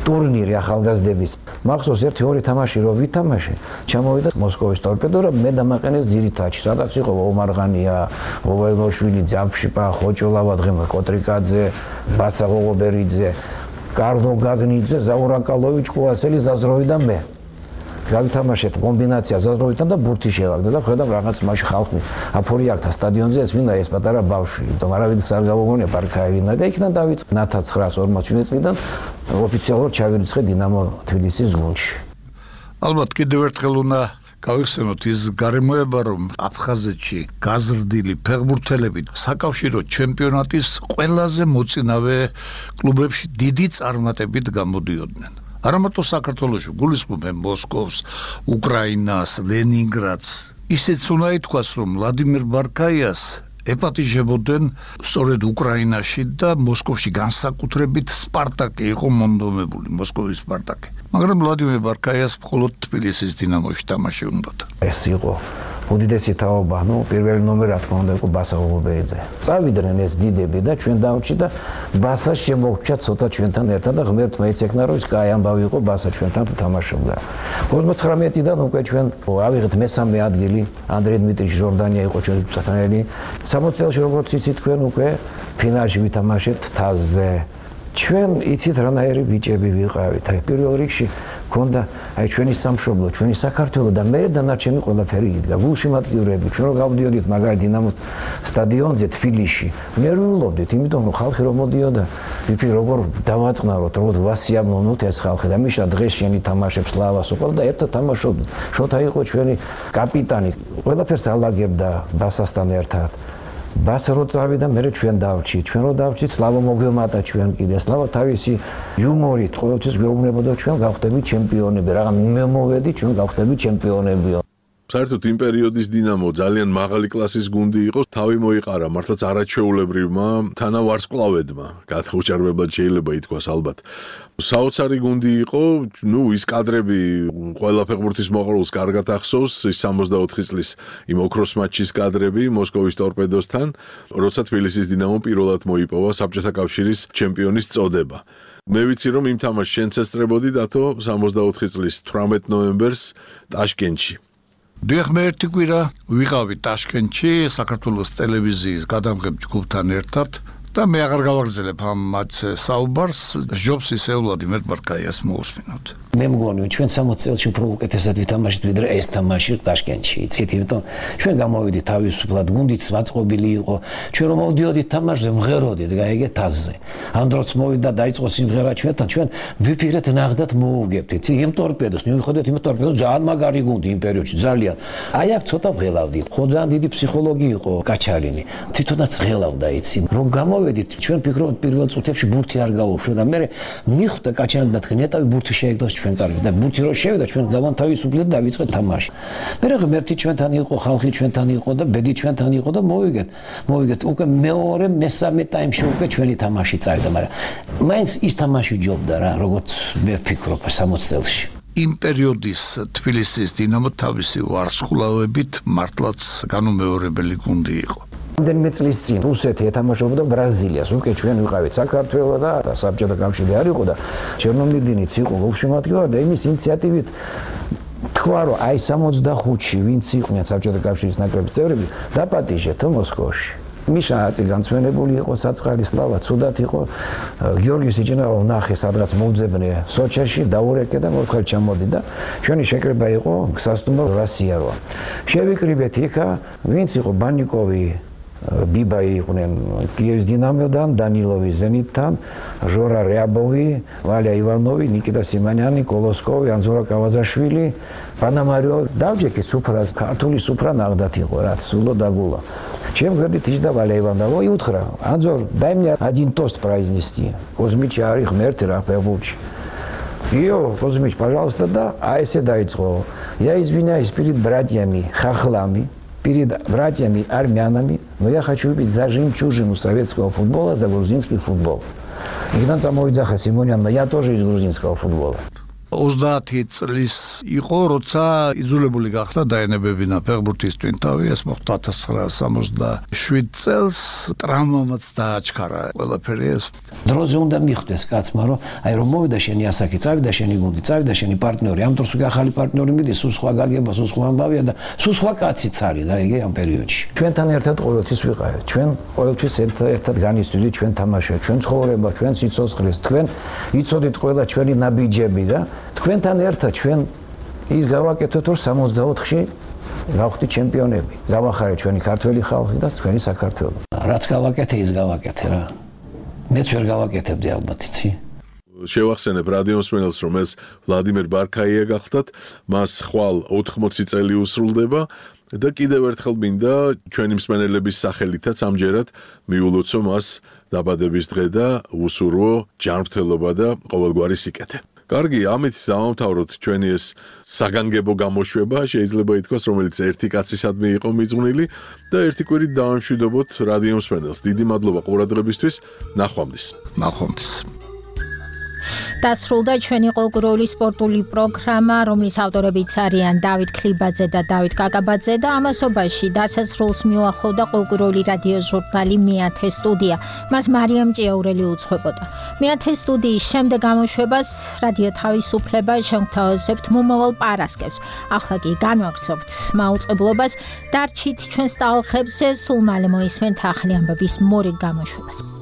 ტურნირი ახალგაზრდების. მახსოვს ერთი ორი თამაში რო ვითამაშე, ჩამოვიდა მოსკოვის ტორპედო და მე დამაყენეს ძირითადში. სადაც იყო ომარღანია, ოვაილოშვილი, ძაფშიპა, ხოჭოლავა, დღემო კოტრიკაძე, ბასა ღოღობერიძე, კარლო გაგნიძე, ზაურაკალოვიჩ, ყუასელი, ზაზროვი და მე. გავითამაშეთ კომბინაცია ზაზროვიდან და ბურთი შევაგდა და ხედავ რაღაც მაშინ ხალხი აფორი აქ სტადიონზე ეს მინდა ეს პატარა ბავშვი იმიტომ არავითარ არ გავოგონია პარკაევინა და იქიდან დავიწყე 1940 წლიდან ოფიციალურად ჩავირიცხე დინამო თბილისის გუნდში. ალბათ კიდევ ერთხელ უნდა გავიხსენოთ ის გარემოება რომ აფხაზეთში გაზრდილი ფეხბურთელები საკავშირო ჩემპიონატის ყველაზე მოწინავე კლუბებში დიდი წარმატებით გამოდიოდნენ. არამარტო საქართველოში გულისხმობენ მოსკოვს, უკრაინას, ლენინგრადს. ისიც უნდა ითქვას რომ ვლადიმერ ბარკაიას ეპატიჟებოდნენ სწორედ უკრაინაში და მოსკოვში განსაკუთრებით სპარტაკი იყო მონდომებული, მოსკოვის სპარტაკი. მაგრამ ვლადიმერ ბარკაიას მხოლოდ თბილისის დინამოში თამაში უნდოდა. ეს იყო უდიდესი თაობა, პირველი ნომერი რა თქმა უნდა იყო ბასა ღობერიძე. წავიდნენ ეს დიდები და ჩვენ დავჭი და ბასას შემოგვჭა ცოტა ჩვენთან ერთად და ღმერთმა იცექნა რომ ის კაი ამბავი იყო ბასა ჩვენთან თამაშობდა. 59-დან უკვე ჩვენ ავიღეთ მესამე ადგილი, ანდრეი დმიტრიჩ ჟორდანია იყო ჩვენი წათანელი. 60 წელს როგორც იცით თქვენ უკვე ფინალში ვითამაშეთ თასზე. ჩვენ იცით რანაირი ბიჭები ვიყავით. აი პირველ რიგში ქონდა აი ჩვენი სამშობლო, ჩვენი საქართველო და მე დანარჩენი ყველაფერი იდგა. გულშემატკივრები, ჩვენ რო გავდიოდით მაგარი დინამოს სტადიონზე თბილისში, ნერვიულობდით, იმიტომ რომ ხალხი რომ მოდიოდა, ვიფიქრე როგორ დავაწყნაროთ, როგორ ვასიამოვნოთ ეს ხალხი და მიშა დღეს შენი თამაშებს ლავას უყავ და ერთად თამაშობდით. შოთა იყო ჩვენი კაპიტანი, ყველაფერს ალაგებდა ბასასთან ერთად. ბასა რო წავიდა, მე ჩვენ დავჭით. ჩვენ რო დავჭით, სლავა მოგვემატა ჩვენ კიდე. სლავა თავისი იუმორით ყოველთვის გვეუბნებოდა ჩვენ გავხდებით ჩემპიონები. რაღაც მე მოვედი, ჩვენ გავხდებით ჩემპიონები. საერთოდ იმ პერიოდის დინამო ძალიან მაღალი კლასის გუნდი იყო, თავი მოიყარა მართლაც არაჩვეულებრივმა თანავარსკვლავედმა. გადაუჭარბებლად შეიძლება ითქვას ალბათ. საოცარი გუნდი იყო, ის კადრები ყველა ფეხბურთის მოყოლს კარგად ახსოვს, ის 64 წლის იმ ოქროს მატჩის კადრები მოსკოვის ტორპედოსთან, როცა თბილისის დინამომ პირველად მოიპოვა საბჭოთა კავშირის ჩემპიონის წოდება. მე ვიცი რომ იმ თამაშს შენც ესწრებოდი დათო 64 წლის 18 ნოემბერს ტაშკენტში. დიახ, მე ერთი კვირა ვიყავი ტაშკენტში საქართველოს ტელევიზიის გადამღებ ჯგუფთან ერთად და მე აღარ გავაგრძელებ ამ მათს საუბარს, ჯობს ისე ვლადიმერ ბარკაიას მოусმინოთ. მე მგონი ჩვენ 60 წელში უფრო უკეთესად ვითამაშეთ ვიდრე ეს თამაში ტაშკენტში. იცით, იმიტომ ჩვენ გამოვიდით თავისუფლად, გუნდიც მაწყობილი იყო. ჩვენ რომ მოვდიოდით თამაშზე, მღეროდით, გაიგე თასზე. ამ დროც მოვიდა დაიწყო სიმღერა ჩვენთან, ჩვენ ვიფიქრეთ ნახდათ მოუგებდით. იმ ტორპედოს, მივიხოდეთ იმ ტორპედოს ძალიან მაგარი გუნდი იმ პერიოდში, ძალიან. აი აქ ცოტა ვღელავდით. ხო ძალიან დიდი ფსიქოლოგი იყო კაჩარინი. თვითონაც ღელავდა, იცი. რომ გამოვედით, ჩვენ ფიქრობთ პირველ წუთებში ბურთი არ გაუშვდა და მე მიხვდა კაჩარინი და თქვენ ეტავი ბურთი შეეგდოს ჩვენ კარგი და ბურთი რო შევიდა ჩვენ გავანთავისუფლეთ და დავიწყეთ თამაში. მე ღმერთი ჩვენთან იყო, ხალხი ჩვენთან იყო და ბედი ჩვენთან იყო და მოვიგეთ უკვე მეორე მესამე ტაიმში უკვე ჩვენი თამაში წავიდა, მაგრამ მაინც ის თამაში ჯობდა რა, როგორც მე ვფიქრობ 60 წელში. იმ პერიოდის თბილისის დინამო თავისი ვარსკვლავებით მართლაც განუმეორებელი გუნდი იყო. რამდენიმე წლის წინ რუსეთი ეთამაშებოდა ბრაზილიას. უკვე ჩვენ ვიყავით საქართველო და საბჭოთა კავშირი არ იყო და ჩერნომირდინიც იყო გულშემატკივარი და იმის ინიციატივით თქვა რომ აი 65-ში ვინც იყვნენ საბჭოთა კავშირის ნაკრების წევრები დაპატიჟეთ მოსკოვში. მიშა აწი განცვენებული იყო საწყარი სლავა ცუდად იყო. გიორგი სიჭინავა ნახე სადღაც მოუძებნე სოჩაში დაურეკე და მოთხარ ჩამოდი და ჩვენი შეკრება იყო გასასტუმრო რასიარო. შევიკრიბეთ იქა ვინც იყო ბანიკოვი ბიბაი იყვნენ კიევის დინამოდან, დანილოვი ზენიტთან, ჟორა რეაბოვი, ვალია ივანოვი, ნიკიტა სიმანიანი, კოლოსკოვი, ანზორა კავაზაშვილი, პანამარიო, დავჯექეთ სუფრა, ქართული სუფრა ნაღდათ იყო, რაც სულო დაგულა. Чем говорит издавали Валя Иванова и утро. Анзор, дай мне один тост произнести. Кузьмич, арих, мертер, апевуч. Йо, Кузьмич, пожалуйста, да, а если дайцо. Я извиняюсь перед братьями хохлами, перед братьями армянами, но я хочу выпить за жемчужину советского футбола, за грузинский футбол. Игнат Самовидзаха Симонян, но я тоже из грузинского футбола. 30 წლის იყო, როცა იძულებული გახდა დაენებებინა ფეხბურთის ტვინთავი, ეს მოხდა 1967 წელს, ტრამვამაც დააჩქარა ყველაფერი ეს. დროზე უნდა მიხვდეს კაცმა, რომ აი რომ მოვიდა შენი ასაკი, წავიდა შენი გუნდი, წავიდა შენი პარტნიორი, ამ დროს უკვე ახალი პარტნიორი მიდის, სულ სხვა გაგება, სულ სხვა ამბავია და სულ სხვა კაციც არის, გაიგე ამ პერიოდში. ჩვენთან ერთად ყოველთვის ვიყავით, ჩვენ ყოველთვის ერთად განისვიდით ჩვენ თამაშია, ჩვენ ცხოვრება, ჩვენ სიცოცხლეს, თქვენ იცოდით ყველა ჩვენი ნაბიჯები და თქვენთან ერთად ჩვენ ის გავაკეთოთ რომ 64-ში გავხდით ჩემპიონები. გავახარეთ ჩვენი ქართველი ხალხი და ჩვენი საქართველო. რაც გავაკეთე, ის გავაკეთე რა. მეც ვერ გავაკეთებდი ალბათ, იცი? შევახსენებ რადიო მსმენელს, რომ ეს ვლადიმერ ბარქაია გახლდათ, მას ხვალ 80 წელი უსრულდება და კიდევ ერთხელ მინდა ჩვენი მსმენელების სახელითაც ამჯერად მიულოცო მას დაბადების დღე და უსურვო ჯანმრთელობა და ყოველგვარი სიკეთე. კარგი, ამით დავამთავროთ ჩვენი ეს საგანგებო გამოშვება, შეიძლება ითქვას, რომელიც ერთი კაცისადმი იყო მიძღვნილი და ერთი კვირით დავამშვიდობოთ რადიო მსმენელს. დიდი მადლობა ყურადღებისთვის. ნახვამდის. ნახვამდის. დასრულდა ჩვენი ყოლგუროვი სპორტული პროგრამა, რომლის ავტორებიც არიან დავით ქლიბაძე და დავით კაკაბაძე და ამასობაში დასასრულს მიუახლოვდა ყოლგუროვი რადიო ჟურნალი მეათე სტუდია. მას მარიამ ჭიაურელი უძღვებოდა. მეათე სტუდიის შემდეგ გამოშვებას რადიო თავისუფლება შევთავაზებთ მომავალ პარასკევს. ახლა კი განვაგრძობთ მაუწყებლობას, დარჩით ჩვენს ტალღებზე, სულ მალე მოისმენთ ახალი ამბების მორიგ გამოშვებას.